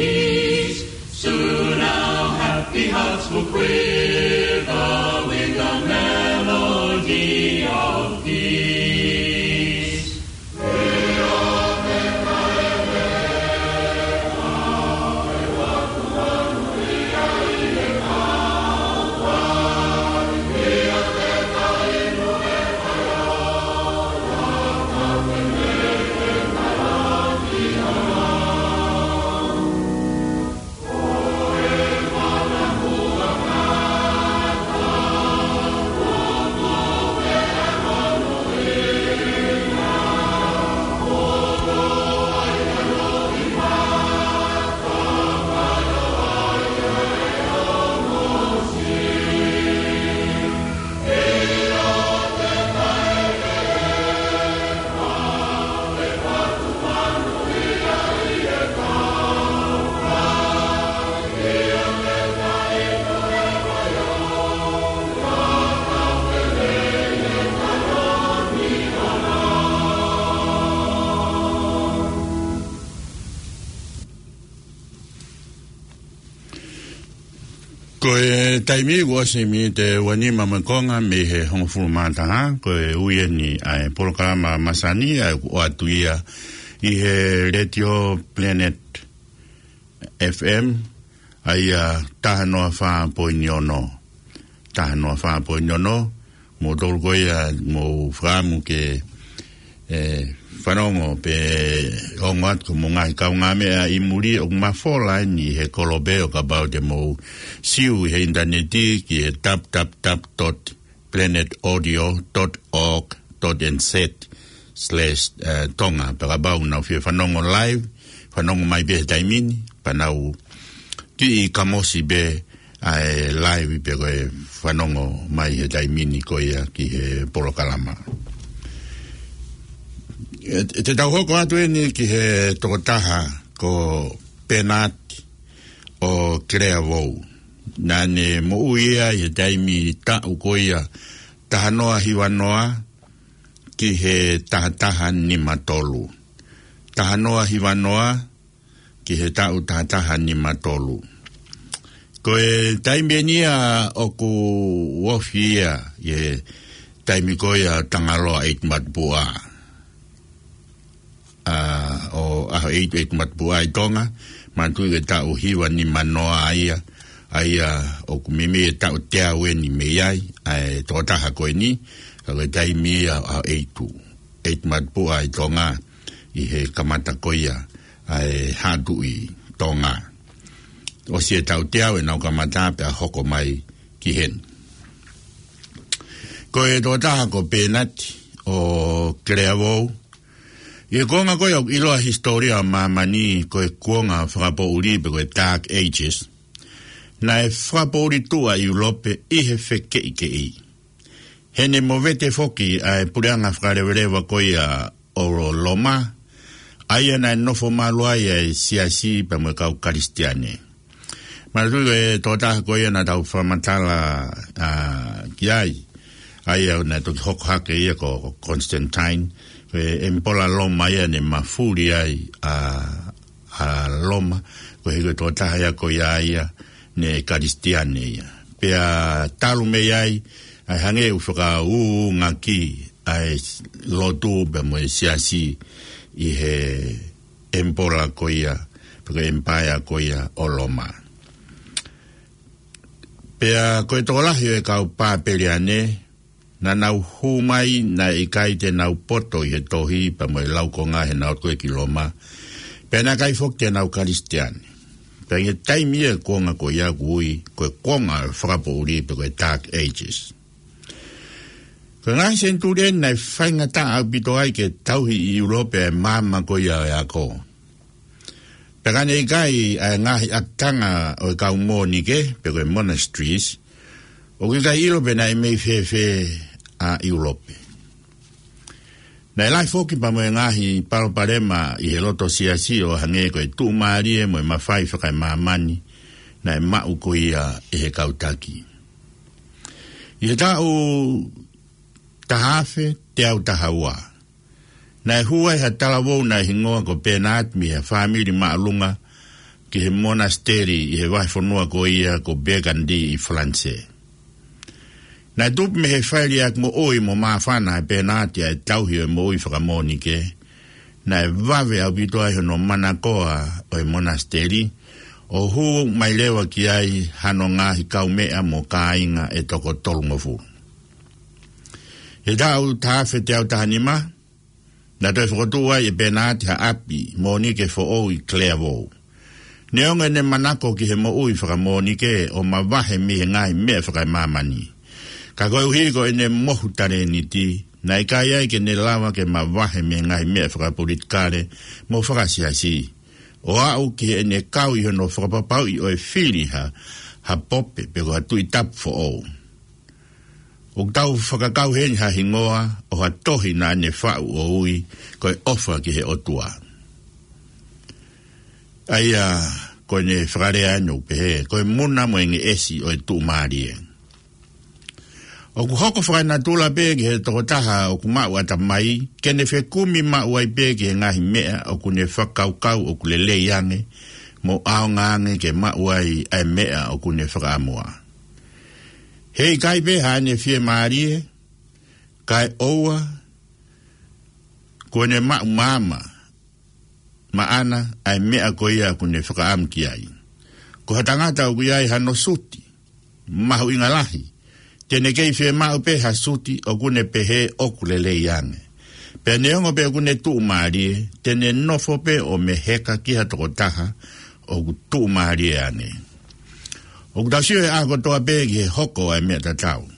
Soon our happy hearts will quiver with the melody of peace. Ko e taimi kuo ʻosi miniti ʻe uanima mo e konga mei he hongofulu mā taha, ko e ʻuhinga ʻa e polokalama masani ʻa ia ʻoku ʻoatu ia ʻi he Letiō Planet F M, ʻa ia taha noa fā poini ono. Taha noa fā poini ono, mo tolu ko ia mo fakaʻamu ke, ē, fanongo pē ongo atu ko hoʻomou ngaahi kaungāmeʻa ʻi muli ʻoku mafola eni he kolope ʻo kapau te mou sio ʻi he ʻinitaneti ki he tap tap tap dot planet audio dot org dot N Z slash, eh, Tonga. Pea kapau ʻoku nau fie fanongo live, fanongo mai pē he taimi ni, pea nau kiʻi kamosi pē ʻa e live pē ko e fanongo mai he taimi ni ko ia ki he polokalama. ʻE, ʻe te tau hoko atu eni ki he tokotaha ko Penati ʻo Kelea Vou. Naʻa ne moʻui ia ʻi he taimi taʻu ko ia taha noa hiva noa ki he taha taha nima tolu. Taha noa hiva noa ki he taʻu taha taha nima tolu. Ko e taimi eni ia ʻoku ofi ia ʻi he taimi ko ia Tangaloa ʻEitumatupuʻa. ʻA, ʻo ʻAhoʻeitu, ʻEitumatupuʻa ʻi Tonga, manatuʻi ko e taʻu hiva nima noa ia, ʻa ia ʻoku meimei e taʻu teau eni mei ai ʻa e tokotaha ko eni, ka ko e taimi ia ʻAhoʻeitu, ʻEitumatupuʻa ʻi Tonga, ʻi he kamata ko ia ʻa e Haʻa Tuʻi Tonga. ʻOsi e taʻu teau ʻenau kamata pea hoko mai ki heni. Ko e tokotaha ko Penati ʻo Kelea Vou, ʻI he kuonga ko ia ʻoku ʻiloa he hisitōlia ʻo māmani ko e kuonga fakapoʻuli pe ko e Dark Ages, naʻe fakapoʻuli tuʻa ʻi ʻIulope ʻi he fekeʻikeʻi. Heʻene movete foki ʻa e puleʻanga fakaleveleva ko ia ʻo Loma, ʻa ia naʻe nofo malu ai ʻa e siasi pea mo e kau Kalisitiane. Manatuʻi ko e tokotaha ko ia naʻa tau fakamatala, ā, ki ai, ʻa ia naʻe toki hoko hake ia ko Constantine, ko e ʻemipola Loma ia naʻe mafuli ai ʻa, ʻa Loma, koeʻuhi ko e tokotaha ia ko ia ia naʻe Kalisitiane ia. Pea talu mei ai, ʻa e hangē ʻoku fakaūngaki ʻa e lotu pea mo e siasi ʻi he ʻemipola ko ia, pe ko e ʻemipaea ko ia ʻo Loma. Pea ko e tokolahi ʻo e kau Papeliane, naʻa nau hū mai naʻe ʻikai te nau poto ʻi he tohi pea mo e laukonga heʻenau ō ko ē ki Loma. Pea naʻe ʻikai foki te nau Kalisitiane. Pea ʻi he taimi ia kuonga ko ia ʻoku ui ko e kuonga fakapoʻuli pe ko e Dark Ages. Ko e ngaahi senituli ʻeni naʻe faingataʻa ʻaupito ai ke tauhi ʻi ʻIulope ʻa e maama ko ia ʻo e ako. Pea ka ne ʻikai ʻa e ngaahi ʻakitanga ʻo e kau mōnike, pe ko e monasteries, ʻoku ʻikai ʻilo pe naʻe mei fēfē ʻa ʻIulope. Naʻe lahi foki pea mo e ngaahi palopalema ʻi he loto siasi ʻo hangē ko e tuʻumālie mo e mafai fakaemāmani naʻe maʻu ko ia ʻe he kau taki. ʻI he taʻu taha afe teau taha ua, naʻe hū ai ha talavou naʻe hingoa ko Bernard mei ha fāmili māʻolunga ki he monasiteli ʻi he vahefonua ko ia ko Burgundy ʻi Falanisē. Naʻe tupu mei he failiʻaki moʻui mo māfana ʻa Bernard ʻa e tauhi ʻo e moʻui fakamōnike. Naʻe vave ʻaupito ai hono manakoa ʻo e monasiteli, ʻo hū mai leva ki ai hano ngaahi kaumeʻa mo kāinga ʻe toko tolungofulu. ʻI he taʻu taha afe teau taha nima, naʻe toe fokotuʻu ai ʻe Bernard ha ʻapi mōnike foʻou ʻi Clairvaux. Neongo ʻene manako ki he moʻui fakamōnike ʻo mavahe mei he ngaahi meʻa fakaemāmani, ka koeʻuhi ko ʻene mohu talēniti, naʻe ʻikai ai ke ne lava ke mavahe mei he ngaahi meʻa fakapolitikale mo fakasiasi, ʻo aʻu ki heʻene kau ʻi hono fakapapauʻi ʻo e fili ha, ha pope pe ko ha tuʻi tapu foʻou. ʻOku tau fakakau heni ha hingoa ʻo ha tohi naʻa ne faʻu ʻo ui ko e ʻOfa ki he ʻOtua. ʻA ia ko ʻene fakalea ʻeni ʻoku pehē, ko e muna mo e ngeʻesi ʻo e tuʻumālie. ʻOku hoko fakanatula pē ki he tokotaha ʻoku maʻu ʻatamai, ke ne fekumi maʻu ai pē ki he ngaahi meʻa ʻoku ne fakakaukau ʻoku lelei ange mo ʻaonga ange ke maʻu ai ʻa e meʻa ʻoku ne fakaʻamua. He ʻikai pē haʻane fiemālie, kae ʻoua kuo ne maʻu maama maʻana ʻa e meʻa ko ia ʻoku ne fakaʻamu ki ai. Ko ha tangata ʻoku ʻi ai hano suti mahuʻinga lahi, te ne kei fiemaʻu pē ha suti ʻoku ne pehē ʻoku lelei ange. Pea neongo pē ʻoku ne tuʻumālie, te ne nofo pē ʻo meheka ki ha tokotaha ʻoku tuʻumālie ange. ʻOku tau sio he ʻaho kotoa pē ki he hoko ʻa e meʻa tatau.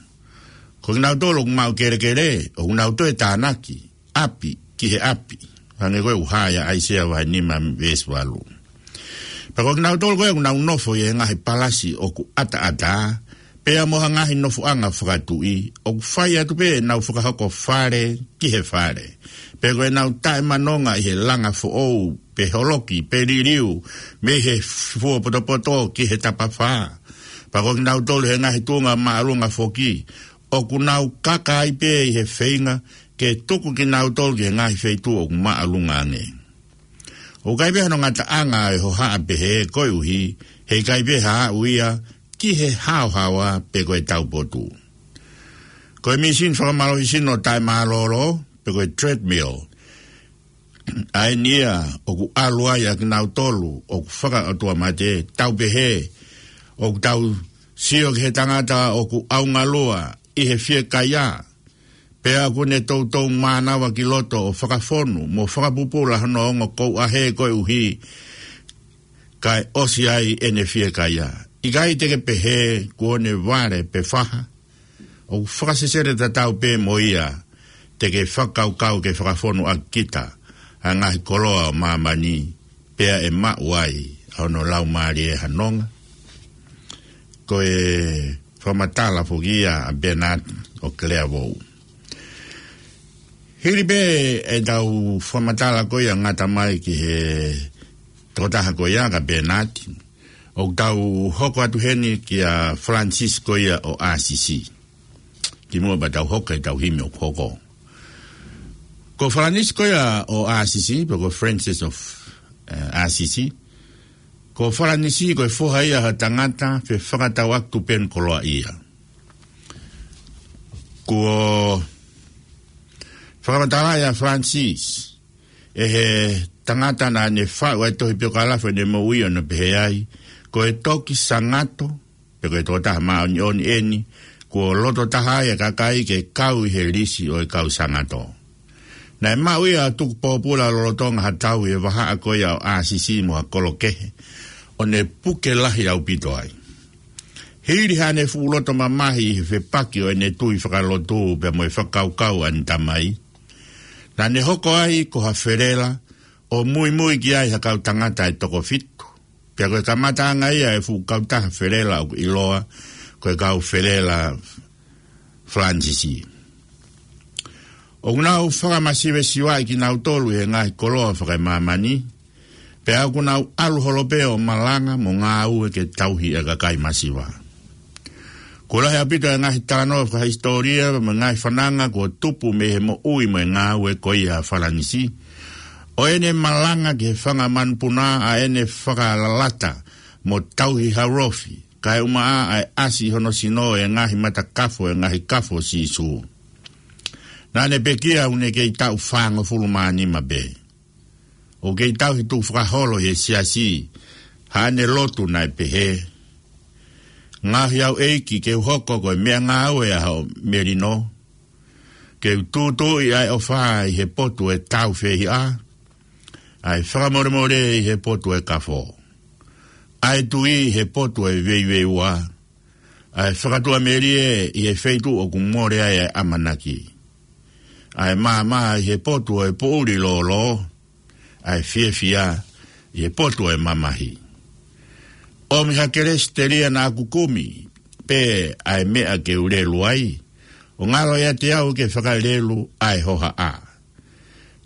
Ko kinautolu ʻoku maʻu kelekele, ʻoku nau toe tānaki ʻapi ki he ʻapi, hangē ko e ʻuhinga ʻa ʻAisea vahe nima veesi valu. Pea ko kinautolu ko ē ʻoku nau nofo ʻi he ngaahi palasi ʻoku ʻataʻatā, pea mo ha ngaahi nofoʻanga fakatuʻi, ʻoku fai atu pē ʻenau fakahoko fale ki he fale. Pea ko ʻenau taʻemanonga ʻi he langa foʻou, pe holoki, pe liliu, mei he fuopotopoto ki he tapafā. Pea ko kinautolu he ngaahi tuʻunga māʻolunga foki, ʻoku nau kaka ai pē ʻi he feinga ke tuku kinautolu ki he ngaahi feituʻu ʻoku māʻolunga ange. ʻOku ʻikai pē hano ngataʻanga ʻa e hohaʻa pehē koeʻuhi he ʻikai pē haʻu ia ki he haohaoa pe ko e taupotu. Ko e mīsini fakamālohisino taʻemālōlō, pe ko e treadmill, ʻa eni ia ʻoku ʻalu ai ʻa kinautolu ʻoku fakaʻotuamate, tau pehē, ʻoku tau sio ki he tangata ʻoku ʻaungalua ʻi he fiekaia, pea ʻoku ne toutou mānava ki loto ʻo fakafonu mo fakapupula hono ongo kouʻahe koeʻuhi kae ʻosi ai ʻene fiekaia. ʻIkai te ke pehē kuo ne vale pe faha? ʻOku fakasesele tatau pē mo ia, te ke fakakaukau ke fakafonu ʻaki kita ʻa e ngaahi koloa ʻo māmani, pea ʻe maʻu ai ʻa hono laumālie ʻo e nonga. Ko e fakamatala foki ia ʻa Bernard ʻo Clairvaux. Hili pē ʻetau fakamatala ko ia ngata mai ki he tokotaha ko ia ko Bernard, ʻoku tau hoko atu heni kia Francis ko ia ʻo Asisi. Kimuʻa pea tau hoko ki heʻetau himi ʻoku hoko. Ko Francis ko ia ʻo Asisi, pe ko Francis of, eh, Assisi. Ko Francis ko e foha ia ʻo ha tangata fefakatauʻaki tupenu koloaʻia. Kuo fakamatalaʻi ʻa Francis ʻe he tangata naʻa ne faʻu ʻa e tohi piokalafi ʻo ʻene moʻui ʻo ne pehē ai, ko e toki sangato, pe ko e tokotaha māʻoniʻoni eni, kuo loto taha ai ʻa e kakai ke kau ʻi he lisi ʻo e kau sangato. Naʻe maʻu ia ʻo tuku pōpula lolotonga ha tau ʻi he vahaʻa ko ia ʻo Asisi mo ha kolo kehe, ʻo ne puke lahi ʻaupito ai. Hili haʻane fuʻu loto mamahi ʻi he fepaki ʻo ʻene tui fakalotu pea mo e fakakaukau ʻa ʻene tamai, naʻa ne hoko ai ko ha felela ʻo muimui ki ai ha kau tangata ʻe toko fitu. Pea ko e kamataʻanga ia ʻo e fuʻu kautaha felela ʻoku ʻiloa ko e kau felela Falanisisi. ʻOku nau fakamasivesivaʻi kinautolu ʻi he ngaahi koloa fakaemāmani, pea ʻoku nau ʻalu holo pē ʻo malanga mo ngāue ke tauhi ʻa e kakai masiva. Kuo lahi ʻaupito ʻa e ngaahi talanoa fakahisitōlia mo e ngaahi fananga kuo tupu mei he moʻui mo e ngāue ko ia ʻa Falanisi, ʻo ʻene malanga ki he fanga manupuna ʻa ʻene fakalalata mo tauhi haulofi, kae ʻumaʻā ʻa e ʻasi ʻi hono sino ʻo e ngaahi matakafo ʻo e ngaahi kafo ʻo Sīsū. Naʻa ne pekia ʻoku ne kei taʻu fāngofulu mā nima pē. ʻOku kei tauhi tukufakaholo ʻi he siasi, haʻane lotu naʻe pehē: Ngaohi au ʻEiki ke u hoko ko e meʻangāue ʻa hoʻo melino, ke u tūtuuʻi ʻa e ʻofa ʻi he potu ʻo e tāufehiʻa, ʻa e fakamolemole ʻi he potu ʻo e kafo, ʻa e tui ʻi he potu ʻo e veiveiua, ʻa e fakatuʻamelie ʻi he feituʻu ʻoku mole ai ʻa e ʻamanaki, ʻa e maama ʻi he potu ʻo e poʻuli lōlō, ʻa e fiefia ʻi he potu ʻo e mamahi. ʻOmi ha kelesi telia naʻa ku kumi pē ʻa e meʻa ke u lelu ai, ʻo ngalo ʻiate au ke fakalelu ʻa e hohaʻa.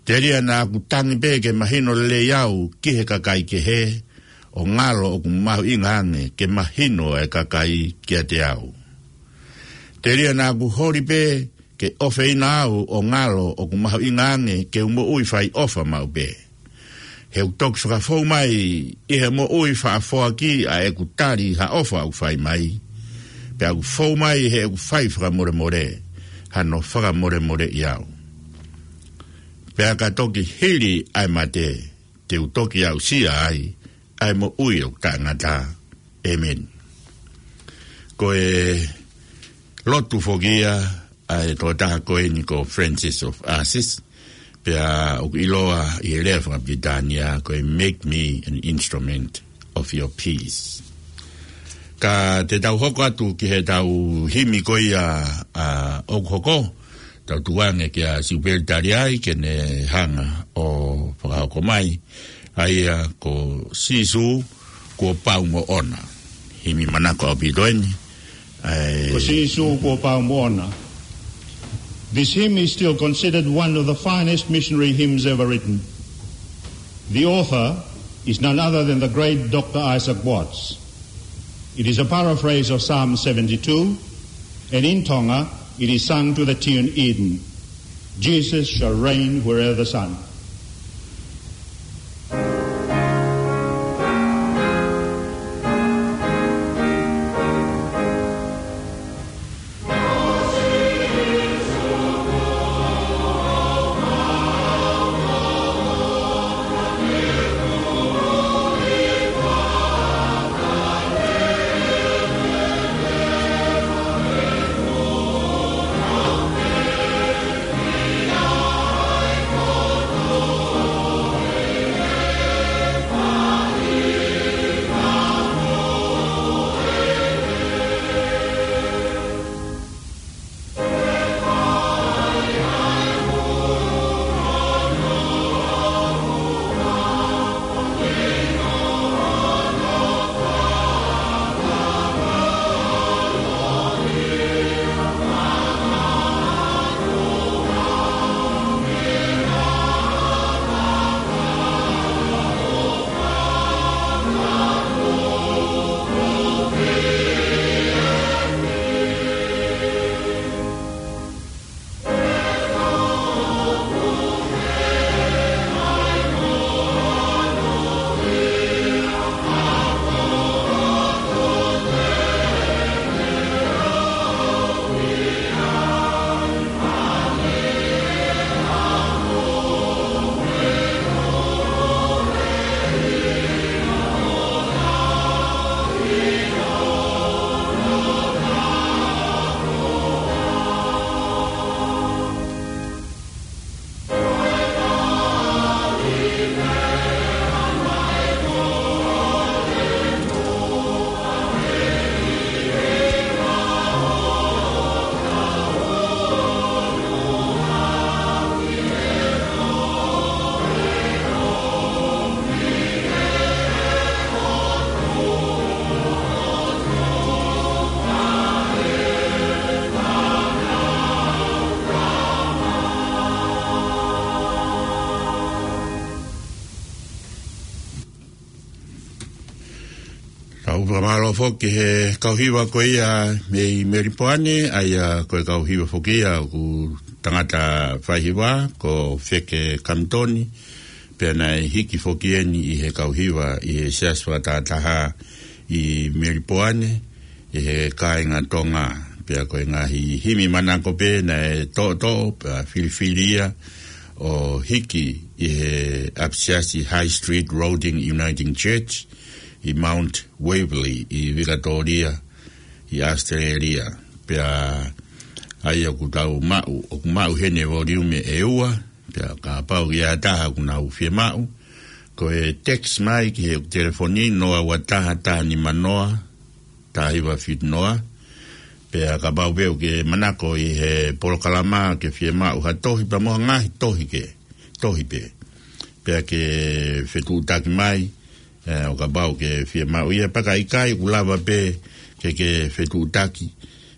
Telia naʻa ku tangi pē ke mahino lelei au ki he kakai kehe, ʻo ngalo ʻoku mahuʻinga ange ke mahino ʻa e kakai kiate au. Telia naʻa ku holi pē ke ʻofeina au, ʻo ngalo ʻoku mahuʻinga ange ke u moʻui fai ʻofa maʻu pē. He ʻoku toki fakafou mai ʻi he moʻui faʻa foaki ʻa ʻeku tali ha ʻofa ʻoku fai mai, pea ʻoku fou mai heʻeku fai fakamolemole hano fakamolemoleʻi au. Pea ka toki hili ʻa e mate, te u toki aʻusia ai ʻa e moʻui ʻoku taʻengata. ʻĒmeni. Ko e lotu foki ia ʻa e tokotaha ko eni ko Francis of Assisi, pea ʻoku ʻiloa ʻi he lea fakapilitānia ko e "Make me an instrument of your peace." Ka te tau hoko atu ki heʻetau himi ko ia, ʻa, ʻoku hoko, tau tuku ange kia Siupeli Taliai ke ne hanga ʻo fakahoko mai, ʻa ia ko Sīsū kuo pau moʻona. Himi manako ʻaupito eni. ʻAi. Ko Sīsū kuo pau moʻona. This hymn is still considered one of the finest missionary hymns ever written. The author is none other than the great Doctor Isaac Watts. It is a paraphrase of Psalm seventy-two, and in Tonga, it is sung to the tune Eden. Jesus shall reign wherever the sun. Tau fakamālō foki he kau hiva ko ia mei Melipoane, ʻa ia ko e kau hiva foki ia ʻoku tangata faihiva, ko Feke Kamitoni, pea naʻe hiki foki eni ʻi he kau hiva ʻi he Siasi Fakatahataha ʻi Melipoane, ʻi he kāinga Tonga, pea ko e ngaahi himi manako pē naʻe toʻotoʻo, pea filifili ia ʻo hiki ʻi he ʻapisiasi High Street Roding Uniting Church, ʻi Mount Waverley, ʻi Vikatōlia, ʻi ʻAositelēlia. Pea ʻa ia ʻoku tau maʻu, ʻoku maʻu heni e voliume ʻe ua, pea kapau ʻoku ʻi ai ha taha ʻoku nau fiemaʻu, ko e text mai ki he telefoni noa ua taha taha nima noa, taha hiva fitu noa, pea kapau pē ʻoku ke manako ʻi he polokalama ke fiemaʻu ha tohi pea mo ha ngaahi tohi ke, tohi pē. Pea ke fetuʻutaki mai, ē, ʻo kapau ʻoku ke fiemaʻu ia, pea ka ʻikai ʻoku lava pē ke ke fetuʻutaki,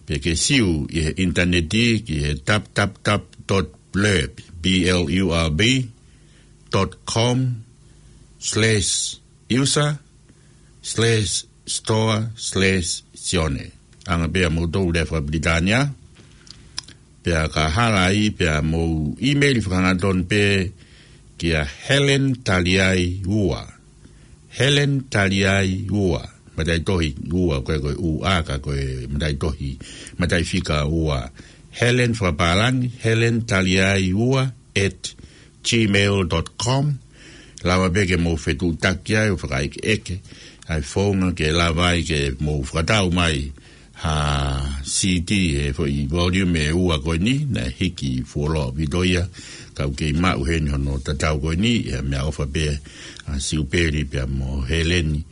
pea ke siu ʻi he ʻinitaneti ki he tap tap tap dot blurb, B L U R B, dot com slash user slash store slash Sione. ʻAnge pē ʻa moutolu lea faka-Pilitānia, pea ka hala ai pea mou email fakahangatonu pē kia Helen Taliai ua. Helen Taliai ua. Mataʻitohi ua, ko e, ko e U A ka ko e mataʻitohi, mataʻifika ua. Helen fakapālangi, Helen Taliai ua at gmail dot com. Lava pē ke mou fetuʻutaki ai ʻo fakaʻekeʻeke ʻa e founga ke lava ai ke mou fakatau mai ha CD, he foʻi volume ʻe ua ko eni, naʻe hiki fuoloa ʻaupito ia, ka ʻoku kei maʻu heni hono tatau ko eni, ʻi he meʻaʻofa pē ʻa Siupeli pea mo Heleni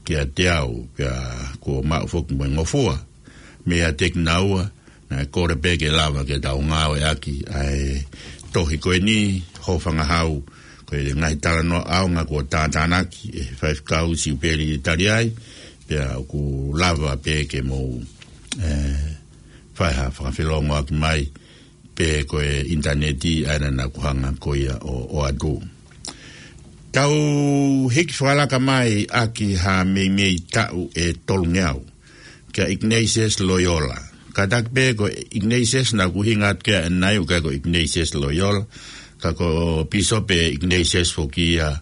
kiate au, pea kuo maʻu foki mo e ngofua meiate kinaua, naʻe kole pē ke lava ke tau ngāueʻaki ʻa e tohi ko eni, Hofangahau, ko e ngaahi talanoa ʻaonga kuo tātānaki ʻe he faifekau Siupeli Taliai, pea ʻoku lava pē ke mou, ē, fai ha fakafelongoaki mai, pe ko e ʻinitaneti ʻa ia naʻa ku hanga ko ia ʻo, ʻo ʻoatu. Tau hiki fakalaka mai ʻaki ha meimei taʻu ʻe tolungeau kia Ignatius Loyola. Kātaki pē ko Ignatius naʻa ku ʻuhinga atu ki ai ʻanenai ʻoku ʻikai ko Ignatius Loyola, ka ko Pīsope Ignatius foki ia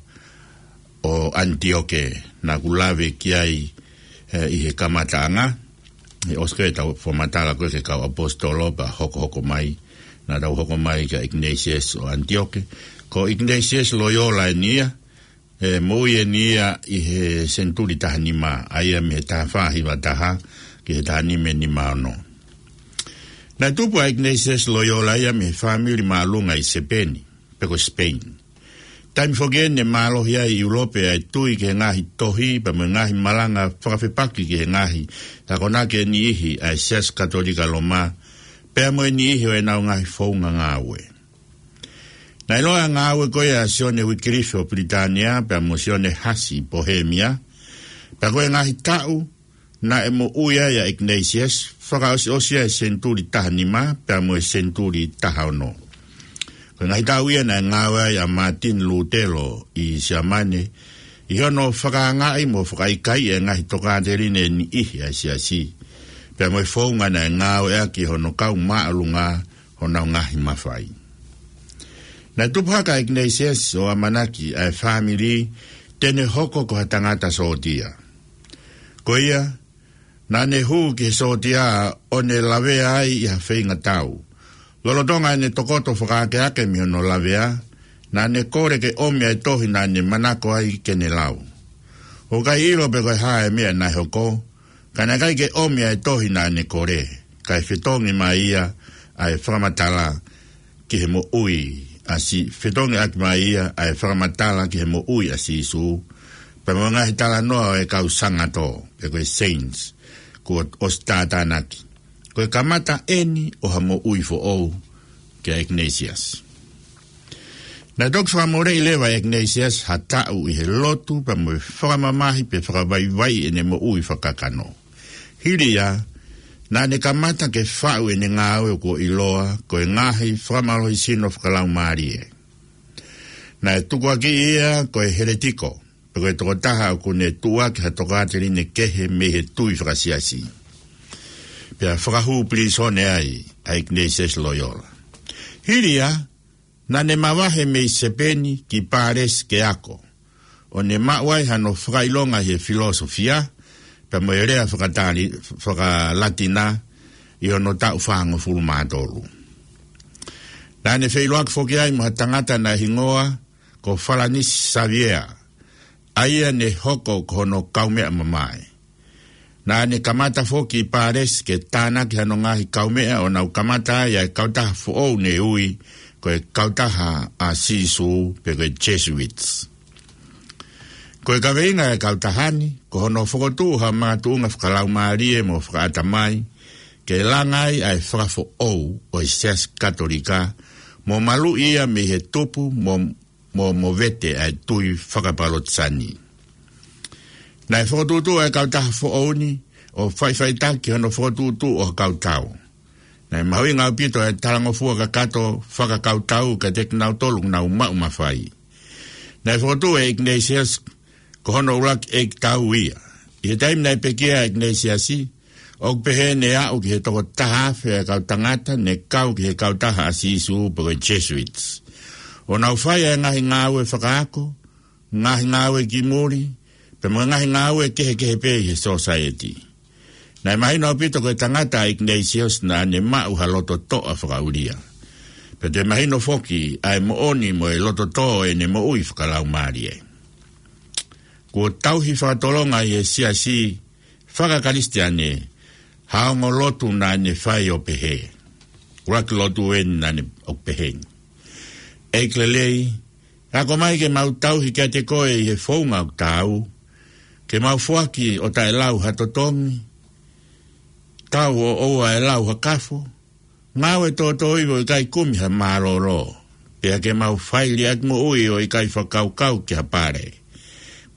ʻo ʻAnitioke, naʻa ku lave ki ai, ē, ʻi he kamataʻanga, ʻi he ʻosi ko ē ʻetau fakamatala ko ē ki he kau ʻaposetolo pea hokohoko mai, naʻa tau hoko mai kia Ignatius ʻo ʻAnitioke. Ko Ignatius Loyola eni ia, ē, moʻui eni ia ʻi he senituli taha nima, ʻa ia mei he taha fā hiva taha ki he taha nima nima ono. Naʻe tupu ʻa Ignatius Loyola ia mei he fāmili māʻolunga ʻi Sepeni, pe ko Spain. Taimi foki eni naʻe mālohi ai ʻi ʻIulope ʻa e tui ki he ngaahi tohi, pea mo e ngaahi malanga fakafepaki ki he ngaahi akonaki ʻe niʻihi ʻa e Siasi Katolika Loma, pea mo e niʻihi ʻo ʻenau ngaahi founga ngāue. Naʻe ʻiloa ʻa e ngāue ko ia ʻa Sione Uikilifi ʻo Pilitānia, pea mo Sione Hasi ʻi Pohēmia, pea ko e ngaahi taʻu naʻe moʻui ai ʻa Ignatius, fakaʻosiʻosi ʻa e senituli taha nima pea mo e senituli taha ono. Ko e ngaahi taʻu ia naʻe ngāue ai ʻa Mātini Lūtelo ʻi Siamane, ʻi hono fakaangaʻi mo fakaʻikaiʻi ʻa e ngaahi tokāteline ʻe niʻihi ʻa e Siasi, pea mo e founga naʻe ngāueʻaki ʻe hono kau māʻolunga honau ngaahi mafai. Naʻe tupu hake ʻa Ignatius ʻo ʻamanaki ʻa e fāmili te ne hoko ko ha tangata sōtia. Ko ia, naʻa ne hū ki he sōtia ʻo ne lavea ai ʻi ha feingatau. Lolotonga ʻene tokoto fakaakeake mei hono lavea, naʻa ne kole ke ʻomi ʻa e tohi naʻa ne manako ai ke ne lau. ʻOku ʻikai ʻilo pe ko e hā e meʻa naʻe hoko, ka naʻe ʻikai ke ʻomi ʻa e tohi naʻa ne kole, kae fetongi mai ia ʻa e fakamatala ki he moʻui ʻa Sī-, fetongi ʻaki mai ia ʻa e fakamatala ki he moʻui ʻa Sīsū, pea mo e ngaahi talanoa ʻo e kau sangato, pe ko e saints, kuo ʻosi tātānaki. Ko e kamata eni ʻo ha moʻui foʻou kia Ignatius. Naʻe toki fakamoleʻi leva ʻe Ignatius ha taʻu ʻi he lotu pea mo e fakamamahi pe fakavaivaiʻi ʻene moʻui fakakakano. Hili ia, naʻa ne kamata ke faʻu ʻene ngāue kuo ʻiloa ko e ngaahi fakamālohisino fakalaumālie. Naʻe tukuakiʻi ia ko e heletiko, pe ko e tokotaha ʻoku ne tuʻuaki ha tokāteline kehe mei he tui fakasiasi. Pea fakahū pilīsone ai ʻa ʻIkinaisiasi Loiola. Hili ia, naʻa ne mavahe mei Sepeni ki Pālesi ke ako, ʻo ne maʻu ai hano fakaʻilonga ʻi he filōsofia, pea mo e lea fakatali-, fakaLatina ʻi hono taʻu fāngofulu mā tolu. Naʻa ne feʻiloaki foki ai mo ha tangata naʻe hingoa ko Falanisi Saviea, ʻa ia ne hoko ko hono kaumeʻa mamae. Naʻa ne kamata foki ʻi Pālesi ke tānaki hano ngaahi kaumeʻa ʻo nau kamata ai ʻa e kautaha foʻou ne ui ko e Kautaha ʻa Sīsū pe ko e Jesuits. Ko e kaveinga ʻa e kautaha ni, ko hono fokotuʻu ha makatuʻunga fakalaumālie mo fakaʻatamai, ke langa ai ʻa e fakafoʻou ʻo e Siasi Katolika, mo maluʻi ia mei he tupu mo mo movete ʻa e tui fakapalotisani. Naʻe fokotuʻutuʻu ʻa e kautaha foʻou ni ʻo faʻifaʻitaki hono fokotuʻutuʻu ʻo ha kau tau. Naʻe mahuʻinga ʻaupito ʻa e talangofua kakato fakakautau kiate kinautolu ʻoku nau maʻu mafai. Naʻe fokotuʻu ʻe ʻIkinaisiasi ko hono ʻuluaki ʻeikitau ia. ʻI he taimi naʻe pekia ai ʻa ʻIkinaisiasi, ʻoku pehē ne aʻu ki he toko taha afe ʻa e kau tangata ne kau ki he Kautaha ʻa Sīsū pe ko e Jesuits, ʻo nau fai ʻa e ngaahi ngāue fakaako, ngaahi ngāue ki muli, pea mo e ngaahi ngāue kehekehe pē ʻi he sōsaieti. Naʻe mahino ʻaupito ko e tangata ʻa ʻIkinaisiasi naʻa ne maʻu ha loto toʻa fakaʻulia. Pea toe mahino foki ʻa e moʻoni mo e loto tō ʻene moʻui fakalaumālie. Kuo tauhi fakatolonga ʻi he siasi fakakalisitiane ha ongo lotu naʻa ne fai ʻo pehē. ʻUluaki lotu eni naʻa ne ʻo pehē ni: ʻEiki lelei, ako mai ke mau tauhi kiate koe ʻi he founga ʻoku taau, ke mau foaki ʻo taʻelau ha totongi, tau ʻo ʻoua ʻe lau ha kafo, ngāue tōtōivi ʻo ʻikai kumi ha mālōlō, pea ke mau fai liʻaki moʻui ʻo ʻikai fakakaukau ki ha pale.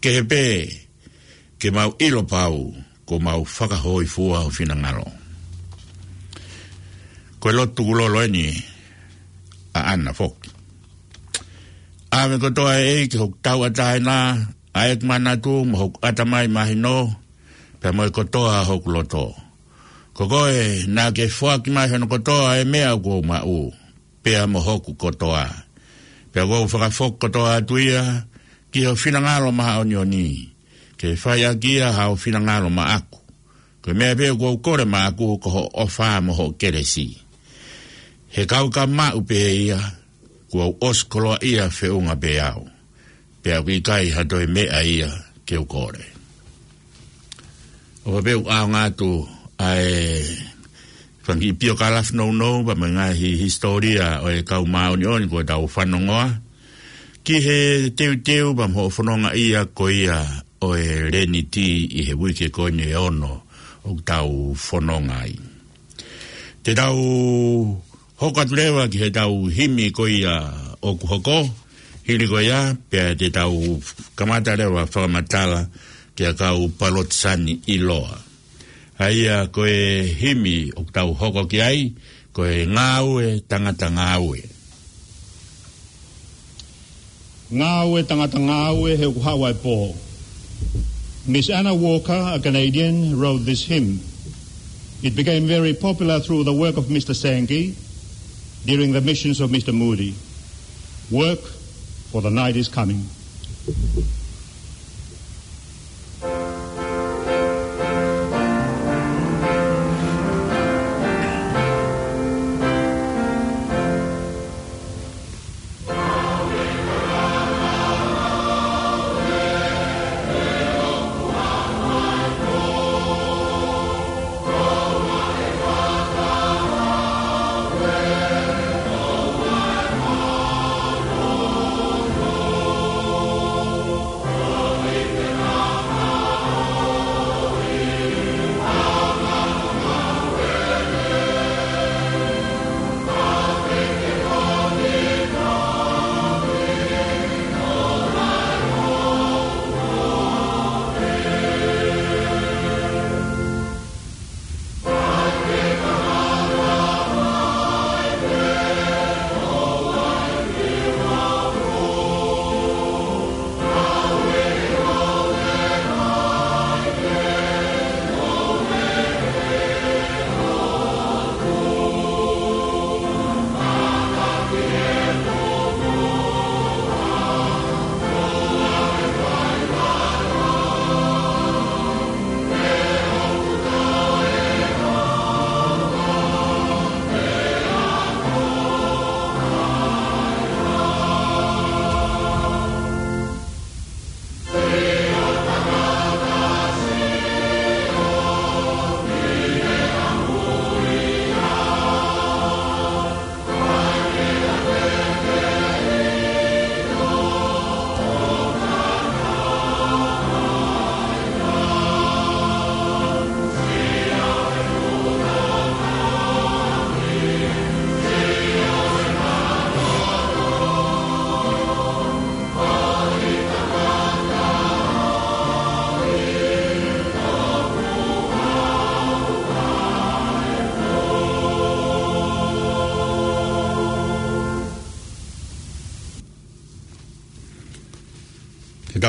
Kehe pē, ke mau ʻilo pau kuo mau fakahōifua ho finangalo. Ko e lotu tukulolo eni ʻaʻana foki. ʻAve kotoa ʻe ʻEiki hoku tauʻatāina, ʻa ʻeku manatu mo hoku ʻatamai mahino, pea mo e kotoa hoku loto. Ko koe naʻa ke foaki mai hono kotoa ʻa e meʻa ʻoku ou maʻu, pea mo hoku kotoa. Pea ʻoku ou fakafoki kotoa atu ia ki ho finangalo māʻoniʻoni, ke fai ʻaki ia haʻo finangalo maʻaku. Ko e meʻa pē ʻoku ou kole maʻaku ko hoʻo ʻofa mo hoʻo kelesi. He ka u ka maʻu pē ia, kuo u ʻosi koloaʻia feʻunga pē au. Pea ʻoku ʻikai ha toe meʻa ia ke u kole. ʻOfa pē ʻoku ʻaonga atu ʻa e fanga kiʻi piokalafi nounou, pea mo e ngaahi hisitōlia ʻo e kau māʻoniʻoni kuo tau fanongoa, ki he teuteu pea mo hoʻo fononga ia ko ia ʻo e Leniti ʻi he uike ko eni ʻe ono ʻoku tau fononga ai. Te tau hoko atu leva ki heʻetau himi ko ia ʻoku hoko, hili ko ia, pea te tau kamata leva fakamatala ki he kau palotisani ʻiloa. ʻA ia ko e himi ʻoku tau hoko ki ai, ko e Ngāue Tangata Ngāue. Ngāue tangata ngāue he ʻoku haʻu ʻa e pō. Miss Anna Walker, a Canadian, wrote this hymn. It became very popular through the work of Mister Sankey during the missions of Mister Moody. Work, for the night is coming.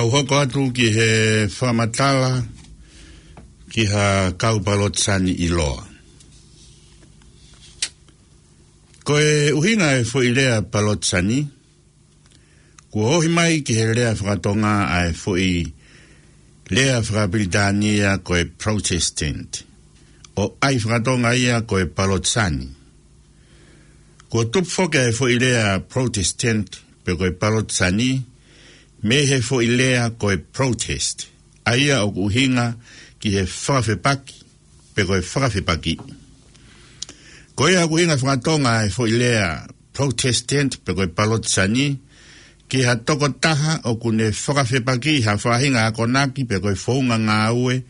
ʻOku hoko atu ki he fakamatala ki ha kau Palotisani ʻiloa. Ko e ʻuhinga e foʻi lea Palotisani, kuo ohi mai ki he lea fakatonga ʻa e foʻi lea fakapilitānia ko e Protestant, ʻo ʻai fakatonga ia ko e Palotisani. Kuo tupu foki e foʻi lea Protestant pe ko e Palotisani mei he foʻi lea ko e protest, ʻa ia ʻoku ʻuhinga ki he fakafepaki pe ko e fakafepaki. Ko ia ʻoku ʻuhinga fakatonga e foʻi lea Protestant pe ko e Palotisani ki ha tokotaha ʻoku ne fakafepaki ha faʻahinga akonaki pe ko e founga ngāue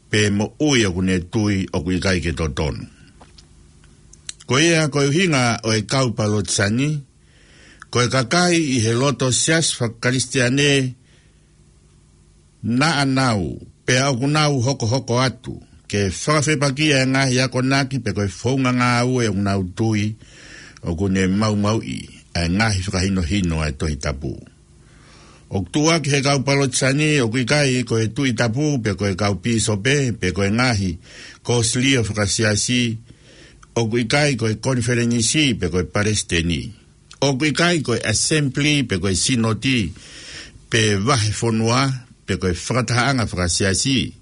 pe moʻui ʻoku ne tui ʻoku ʻikai ke totonu. Ko ia ko e ʻuhinga ʻo e kau Palotisani, ko e kakai ʻi he loto siasi fakakalisitiane naʻa nau, pea ʻoku nau hokohoko atu ke fakafepaki e ngaahi akonaki pe ko e founga ngāue ʻoku nau tui ʻoku ne maumauʻi ʻa e ngaahi fakahinohino ʻa e Tohi Tapu. ʻOku tuʻuaki he kau Palotisani ʻoku ʻikai ko e Tuʻi Tapu pe ko e kau pīsope pe ko e ngaahi kōsilio fakasiasi, ʻoku ʻikai ko e konifelenisi pe ko e palesiteni, ʻoku ʻikai ko e assembly pe ko e sinoti pe vahefonua pe ko e fakatahaʻanga fakasiasi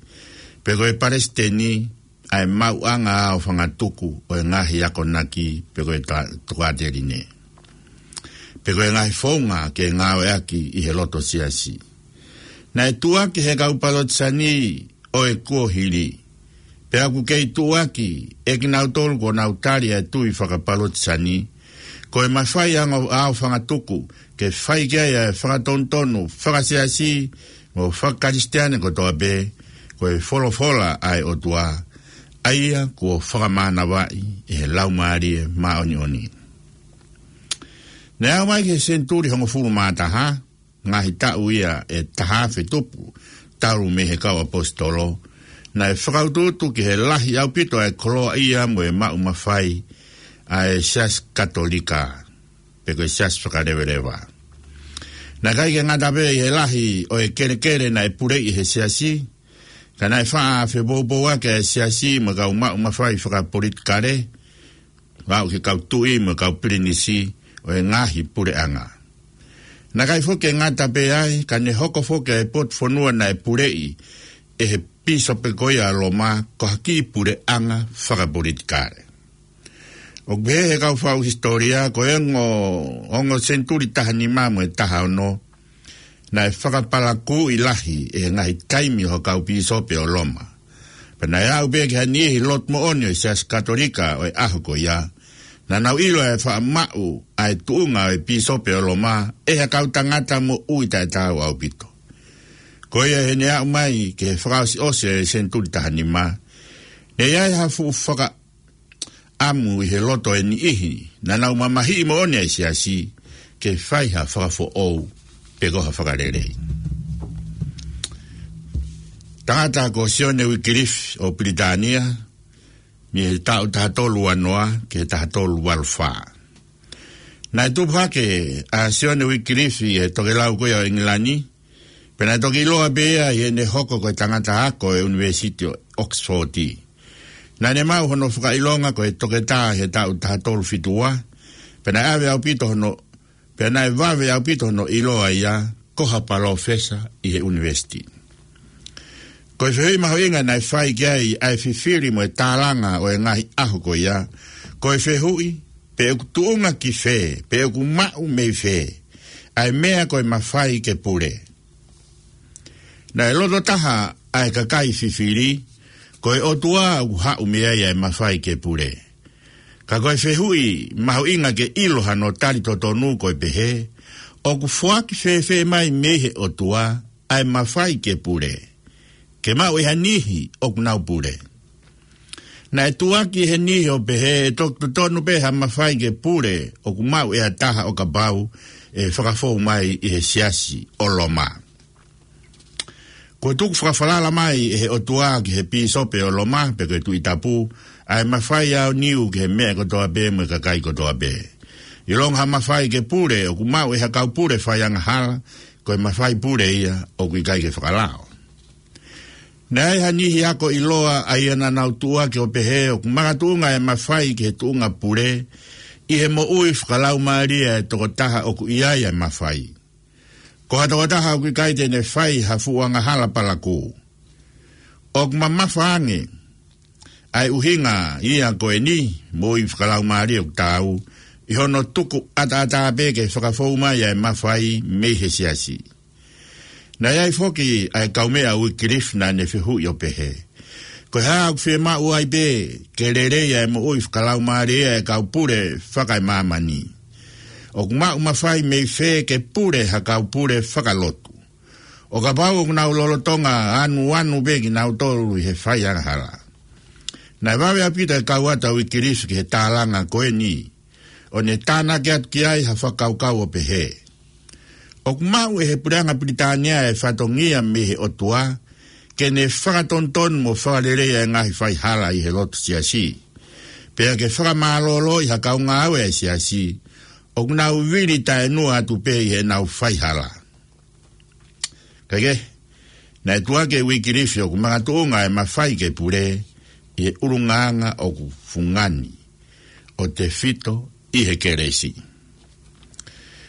pe ko e palesiteni ʻa e maʻuʻanga ʻo fangatuku ʻo e ngaahi akonaki pe ko e ta-, tokāteline pe ko e ngaahi founga ke ngāueʻaki ʻi he loto siasi. Naʻe tuʻuaki he kau Palotisani ʻo e kuohili, pea ʻoku kei tuʻuaki ʻe kinautolu kuo nau tali ʻa e tui fakapalotisani, ko e mafai ange ʻo fangatuku ke fai ki ai ʻa e fakatonutonu fakasiasi mo fakakalisitiane kotoa pē, ko e folofola ʻa e ʻOtua, ʻa ia kuo fakamānavaʻi ʻe he Laumālie Māʻoniʻoni. Naʻe aʻu mai ki he senituli hongofulu mā taha, ngaahi taʻu ia ʻe taha afe tupu talu mei he kau ʻaposetolo, naʻe fakautuutu ki he lahi ʻaupito ʻa e koloaʻia mo e maʻu mafai ʻa e Siasi Katolika, pe ko e siasi fakaleveleva. Naʻe ʻikai ke ngata pē ʻi he lahi ʻo e kelekele naʻe puleʻi ʻe he siasi, ka naʻe faʻa fepoupouaki ʻa e siasi mo e kau maʻu mafai fakapolitikale, ʻo aʻu ki he kau tuʻi mo e kau pilinisi ʻo e ngaahi puleʻanga. Naʻe ʻikai foki ke ngata pē ai, ka ne hoko foki ʻa e potu fonua naʻe puleʻi ʻe he pīsope ko ia ʻa Loma ko ha kiʻi puleʻanga fakapolitikale. ʻOku pehē ʻe he kau faʻu hisitōlia, ko e ongo, ongo senituli taha nima mo e taha ono, naʻe fakapalakūʻi lahi ʻe he ngaahi taimi ʻo e kau pīsope ʻo Loma. Pea naʻe aʻu pē ki ha niʻihi lotu moʻoni ʻo e Siasi Katolika ʻo e ʻaho ko ia, naʻa nau ʻilo ʻa e faʻamaʻu ʻa e tuʻunga ʻo e pīsope ʻo Loma ʻe ha kau tangata moʻui taʻetaau ʻaupito. Ko ia heʻene aʻu mai ki he fakaʻosiʻosi ʻo e senituli taha nima, naʻe ʻi ai ha fuʻu faka- ʻamu ʻi he loto ʻo e niʻihi naʻa nau mamahiʻi moʻoni ʻa e siasi ke fai ha fakafoʻou pe ko ha fakalelei. Tangata ko Sione Uikilifi ʻo Pilitānia, mei he taʻu taha tolu ua noa ki he taha tolu valu fā. Naʻe tupu hake ʻa Sione Uikilifi ʻi he tokelau ko ia ʻo ʻIngilani, pea naʻe toki ʻiloa pē ia ʻi heʻene hoko ko e tangata ako ʻo e ʻUnivēsiti ʻo ʻOkisifoti. Naʻa ne maʻu hono fakaʻilonga ko e toketā ʻi he taʻu taha tolu fitu ua, pea naʻe vave ʻaupito hono, pea naʻe vave ʻaupito hono ʻiloa ia ko ha palōfesa ʻi he ʻunivēsiti. Ko e fehuʻi mahuʻinga naʻe fai ki ai ʻa e fifili mo e tālanga ʻo e ngaahi ʻaho ko ia, ko e fehuʻi pe ʻoku tuʻunga ki fē, pe ʻoku maʻu mei fē ʻa e meʻa ko e mafai ke pule. Naʻe loto taha ʻa e kakai fifili, ko e ʻOtua ʻoku haʻu mei ai ʻa e mafai ke pule. Ka ko e fehuʻi mahuʻinga ke ʻilo hano tali totonu ko e pehē, ʻoku foaki fēfē mai mei he ʻOtua ʻa e mafai ke pule, ke maʻu ʻe ha niʻihi ʻoku nau pule? Naʻe tuʻuaki ʻe he niʻihi ʻo pehē ʻe toki totonu pē ha mafai ke pule ʻoku maʻu ʻe ha taha ʻo kapau ʻe fakafou mai ʻi he siasi ʻo Loma. Kuo tuku fakafalala mai ʻe he ʻOtua ki he pīsope ʻo Loma, pe ko e Tuʻi Tapu, ʻa e mafai ʻaoniu ki he meʻa kotoa pē mo e kakai kotoa pē. ʻIlonga ha mafai ke pule ʻoku maʻu ʻe ha kau pule faiangahala, ko e mafai pule ia ʻoku ʻikai ke fakalao. Naʻe ʻi ai ha niʻihi ako ʻiloa ʻa ia naʻa nau tuʻuaki ʻo pehē ʻoku makatuʻunga e mafai ki he tuʻunga pule ʻi he moʻui fakalaumālie ʻa e tokotaha ʻoku ʻi ai e mafai. Ko ha tokotaha ʻoku ʻikai te ne fai ha fuʻu angahala palakū. ʻOku mamafa ange ʻa e ʻuhinga ia ko eni, moʻui fakalaumālie ʻoku taau, ʻi hono tuku ʻataʻatā pē ke fakafou mai ʻa e mafai mei he siasi. Naʻe ʻi ai foki ʻa e kaumeʻa ʻo Uikilifi naʻa ne fehuʻi ʻo pehē, ko e hā ʻoku fiemaʻu ai pē ke lelei ʻa e moʻui fakalaumālie ʻa e kau pule fakaemāmani? ʻOku maʻu mafai mei fē ke pule ha kau pule fakalotu ʻo kapau ʻoku nau lolotonga anuanu pē kinautolu ʻi he fai angahala? Naʻe vave ʻaupito e kau atu ʻa Uikilifi ki he tālanga ko eni, ʻo ne tānaki atu ki ai ha fakakaukau ʻo pehē, ʻoku maʻu ʻe he puleʻanga Pilitānia e fatongia mei he ʻOtua ke ne fakatonutonu mo fakalelei ʻa e ngaahi faihala ʻi he lotu siasi, pea ke fakamālōlōʻi ha kau ngāue ʻa e siasi ʻoku nau vili taʻenua atu pē ʻi heʻenau faihala. Kae kehe, naʻe tuʻuaki ʻe Uikilifi ʻoku makatuʻunga e mafai ke pule ʻi he ʻulungaanga ʻoku fungani, ʻo tefito ʻi he kelesi.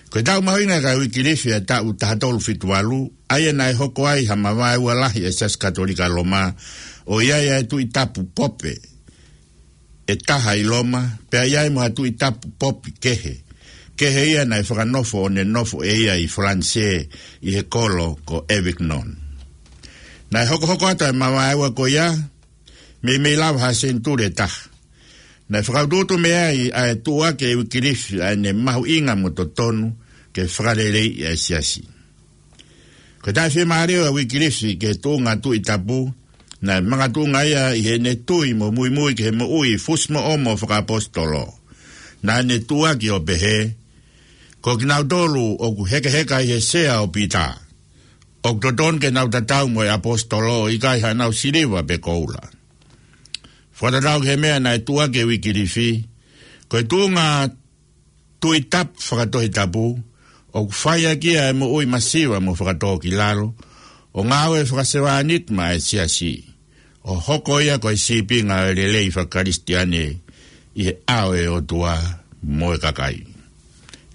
Ko e taʻu mahuʻinga ʻa Uikilifi ʻa e taʻu taha tolu fitu valu, ʻa ia naʻe hoko ai ha mavaeua lahi ʻa e Siasi Katolika Loma, ʻo ʻi ai ʻa e Tuʻi Tapu Pope ʻe taha ʻi Loma, pea ʻi ai mo ha Tuʻi Tapu Pope kehe. Kehe ia naʻe fakanofo ʻo ne nofo ʻe ia ʻi Falanisē ʻi he kolo ko Avignon. Naʻe hokohoko atu ʻa e mavaeua ko ia, meimei lava ha senituli ʻe taha. Naʻe fakautuutu mei ai ʻa e tuʻuaki ʻe Uikilifi ʻa ʻene mahuʻinga mo totonu ke fakaleleiʻi ʻa e siasi. Ko e taʻefiemālie ʻa Uikilifi ki he tuʻunga Tuʻi Tapu, naʻe makatuʻunga ia ʻi heʻene tui mo muimui ki he moʻui fusimoʻomo fakaʻaposetolo. Naʻa ne tuʻuaki ʻo pehē, ko kinautolu ʻoku hekeheka ʻi he sea ʻo Pita, ʻoku totonu ke nau tatau mo e ʻaposetolo ʻo ʻikai haʻanau siliva pe koula. Fakatatau ki he meʻa naʻe tuʻuaki ʻe Uikilifi, ko e tuʻunga Tuʻi Tapu fakatohitapu, ʻoku fai ʻaki ia e moʻui masiva mo fakatōkilalo, ʻo ngāue fakasevāniti maʻa e siasi, ʻo hoko ia ko e sīpinga ʻo e lelei fakakalisitiane ʻi he ʻao ʻo e ʻOtua mo e kakai.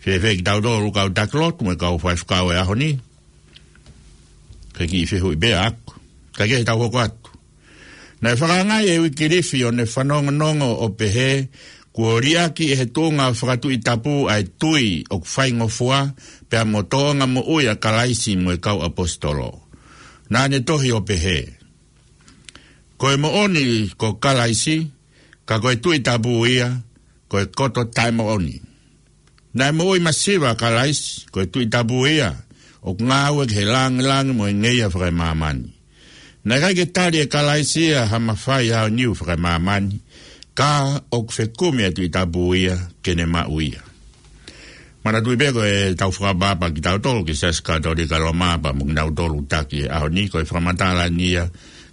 Fēfē kitautolu kau taki lotu mo e kau faifekau ʻo e ʻaho ni? Ko e kiʻi fehuʻi pē ʻaʻaku. Kae kehe, tau hoko atu. Naʻe fakaangaʻi ʻe Uikilifi ʻo ne fanongonongo ʻo pehē, kuo liʻaki ʻe he tuʻunga fakatuʻi tapu ʻa e tui ʻoku faingofua pea mo tōʻonga moʻui ʻa Kalaisi mo e kau ʻaposetolo. Naʻa ne tohi ʻo pehē, ko e moʻoni ko Kalaisi, ka ko e Tuʻi Tapu ia, ko e koto taʻemoʻoni. Naʻe moʻui masiva ʻa Kalaisi, ko e Tuʻi Tapu ia, ʻoku ngāue ki he lāngilangi mo e ngeia fakaemāmani. Naʻe ʻikai ke tali ʻe Kalaisi ia ha mafai aoniu fakaemāmani, ka ʻoku fekumi ʻa e Tuʻi Tapu ia ke ne maʻu ia. Manatuʻi pē ko e tau fakaʻapaʻapa kitautolu ki he Siasi Katolika Loma pea mo kinautolu taki he ʻaho ni, ko e fakamatala eni ia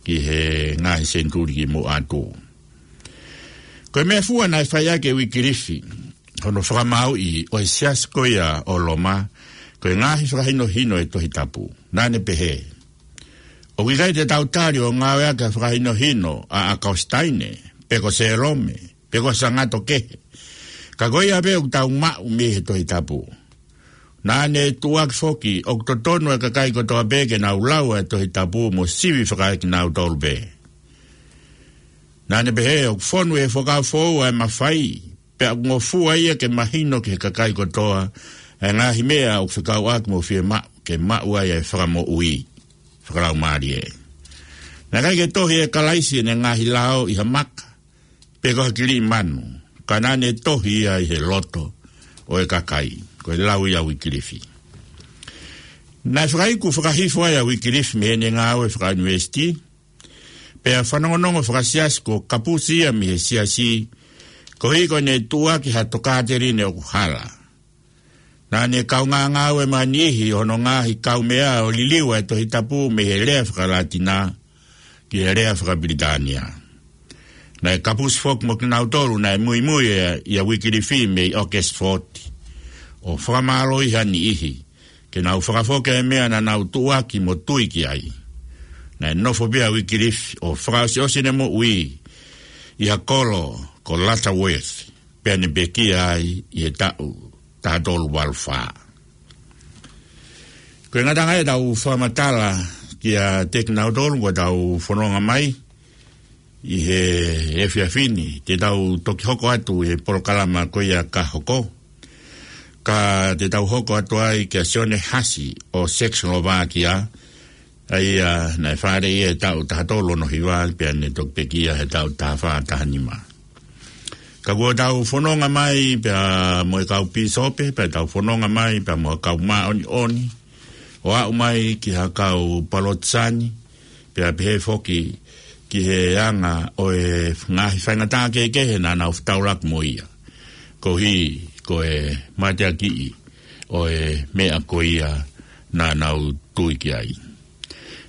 ki he ngaahi senituli ki muʻa atu. Ko e meʻafua naʻe fai ʻaki ʻe Uikilifi hono fakamāuʻi ʻo e siasi ko ia ʻo Loma, ko e ngaahi fakahinohino ʻo e Tohi Tapu. Naʻa ne pehē, ʻoku ʻikai te tau tali ʻo ngāueʻaki ha fakahinohino ʻa ʻAkositaine, pe ko Sēlome, pe ko ha sangato kehe. Ka ko ia pē ʻoku tau maʻu mei he Tohi Tapu. Naʻa ne tuʻuaki foki, ʻoku totonu e kakai kotoa pē ke nau lau e Tohi Tapu mo sivi fakaekinautolu pē. Naʻa ne pehē, ʻoku fonu ʻi he Fuakava Foʻou ʻa e mafai, pea ʻoku ngofua ia ke mahino ki he kakai kotoa ʻa e ngaahi meʻa ʻoku fekauʻaki mo fiemaʻu ke maʻu ai e fakamoʻui fakalaumālie. Naʻe ʻikai ke tohi ʻe Kalaisi ʻene ngaahi lao ʻi ha maka, pe ko ha kiliʻi manu, ka naʻa ne tohi ia ʻi he loto ʻo e kakai. Ko e lau ia ʻa Uikilifi. Naʻe fakaiku fakahifo ai ʻa Uikilifi mei heʻene ngāue fakaʻunivēsiti, pea fanongonongo fakasiasi kuo kapusi ia mei he siasi, koeʻuhi ko ʻene tuʻuaki ha tokāteline ʻoku hala. Naʻa ne kaungā ngāue mo ha niʻihi ʻo hono ngaahi kaumeʻa ʻo liliu ʻa e Tohi Tapu mei he lea fakaLatina ki he lea fakaPilitānia. Naʻe kapusi foki mo kinautolu naʻe muimui ʻia, ʻia Uikilifi mei ʻOkisifoti, ʻo fakamālohi ha niʻihi, ke nau fakafoki e meʻa naʻa nau tuʻuaki mo tui ki ai. Naʻe nofo pē ʻa Uikilifi ʻo fakaʻosiʻosi ʻene moʻui ʻi ha kolo ko Lutterworth, pea ne pekia ai ʻi he taʻu taha tolu valu fā. Ko e ngataʻanga ia ʻetau fakamatala kiate kinautolu kuo tau fononga mai ʻi he efiafi ni. Te tau toki hoko atu he polokalama ko ia ka hoko. Ka te tau hoko atu ai kia Sione Hasi ʻo Czechoslovakia, ʻa ia naʻe fāʻeleʻi he taʻu taha tolu ono hiva, pea ne toki pekia he taʻu taha fā taha nima. Ka kuo tau fononga mai pea mo e kau pīsope, pea tau fononga mai pea mo e kau māʻoniʻoni, ʻo aʻu mai ki ha kau Palotisani, pea pehē foki ki he anga ʻo e ngaahi faingataʻa kehekehe naʻa nau fetaulaki mo ia, koeʻuhi ko e mateakiʻi ʻo e meʻa ko ia naʻa nau tui ki ai.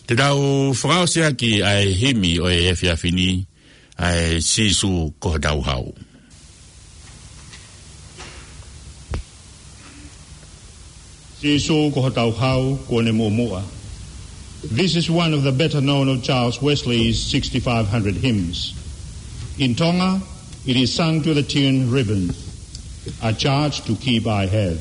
Te tau fakaʻosi ʻaki ʻa e himi ʻo e efiafi ni, ʻa e Sīsū ko hotau hau. Sīsū ko hotau hau, kuo ne muʻomuʻa. This is one of the better known of Charles Wesley's sixty-five hundred hymns. In Tonga, it is sung to the tune Ribbon, a charge to keep I have.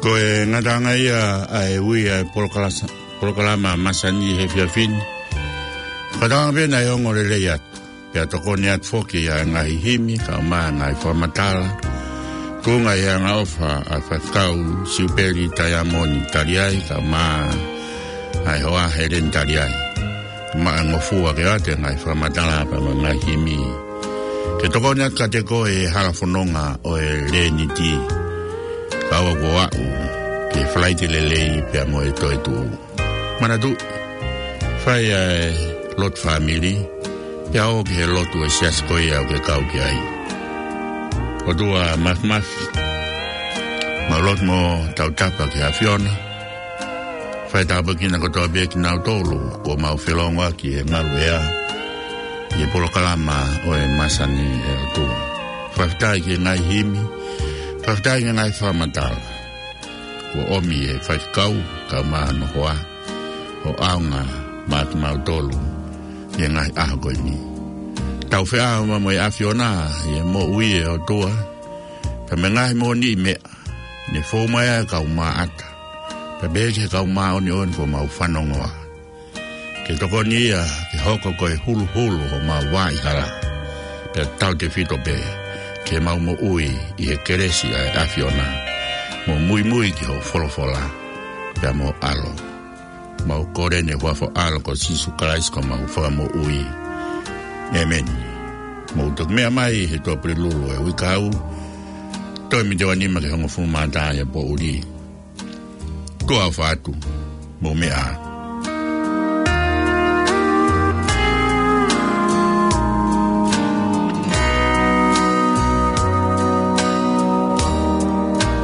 Ko e ngataʻanga ia ʻa e ui ʻa e polokalasa-, polokalama masani he efiafi ni. Fakatauange pē naʻe ongo lelei atu, pea tokoni atu foki ʻa e ngaahi himi, kaeʻumaʻā e ngaahi fakamatala, tuʻunga ʻi he angaʻofa ʻa e faifekau Siupeli Taiamoni Taliai, kaeʻumaʻā e hoa Heleni Taliai. Maʻa ngofua ke ʻoatu e ngaahi fakamatala pea mo e ngaahi himi, ke tokoni atu kiate koe he hala fononga ʻo e Leniti, kae ʻoua kuo aʻu ki he Falaite Lelei pea mo e toetuʻu. Manatuʻi, fai ʻa e lotu fāmili, pea ō ki he lotu ʻo e siasi ko ia ʻoku ke kau ki ai. ʻOtua Māfimafi, mau lotu mo tautapa ki he ʻAfiona. Fai tāpuekina kotoa pē kinautolu kuo mau felongoaki he ngaluʻea ʻi he polokalama ʻo e masani, ʻe ʻOtua. Fakafetaʻi ki he ngaahi himi, fakafetaʻi ki he ngaahi fakamatala kuo ʻomi ʻe he faifekau kaeʻumaʻā hono hoa, ʻo ʻaonga maʻa kimautolu ʻi he ngaahi ʻaho ko eni. Tau feʻao mo e ʻAfiona ʻi he moʻui, ʻe ʻOtua, pea mo e ngaahi moʻoniʻi meʻa ne fou mai ai e kau maʻata, pea pehē ki he kau māʻoniʻoni kuo mau fanongoa. Ke tokoni ia ke hoko ko e huluhulu homau vaʻa hala, pea tautefito pē ke mau moʻui ʻi he kelesi ʻa e ʻAfiona, mo muimui ki hoʻo folofola pea mo e ʻAlo. Mau kole ʻeni ʻi he huafa ʻo e ʻAlo ko Sīsū Kalaisi ko homau Fakamoʻui. ʻĒmeni. Mou toki meʻa mai he Tuʻapulelulu ʻo e uike ʻa e ʻaho, toe miniti ʻe nima ki he hongofulu mā taha ʻi he poʻuli. Tuʻa ʻofa atu, mou meʻa ā.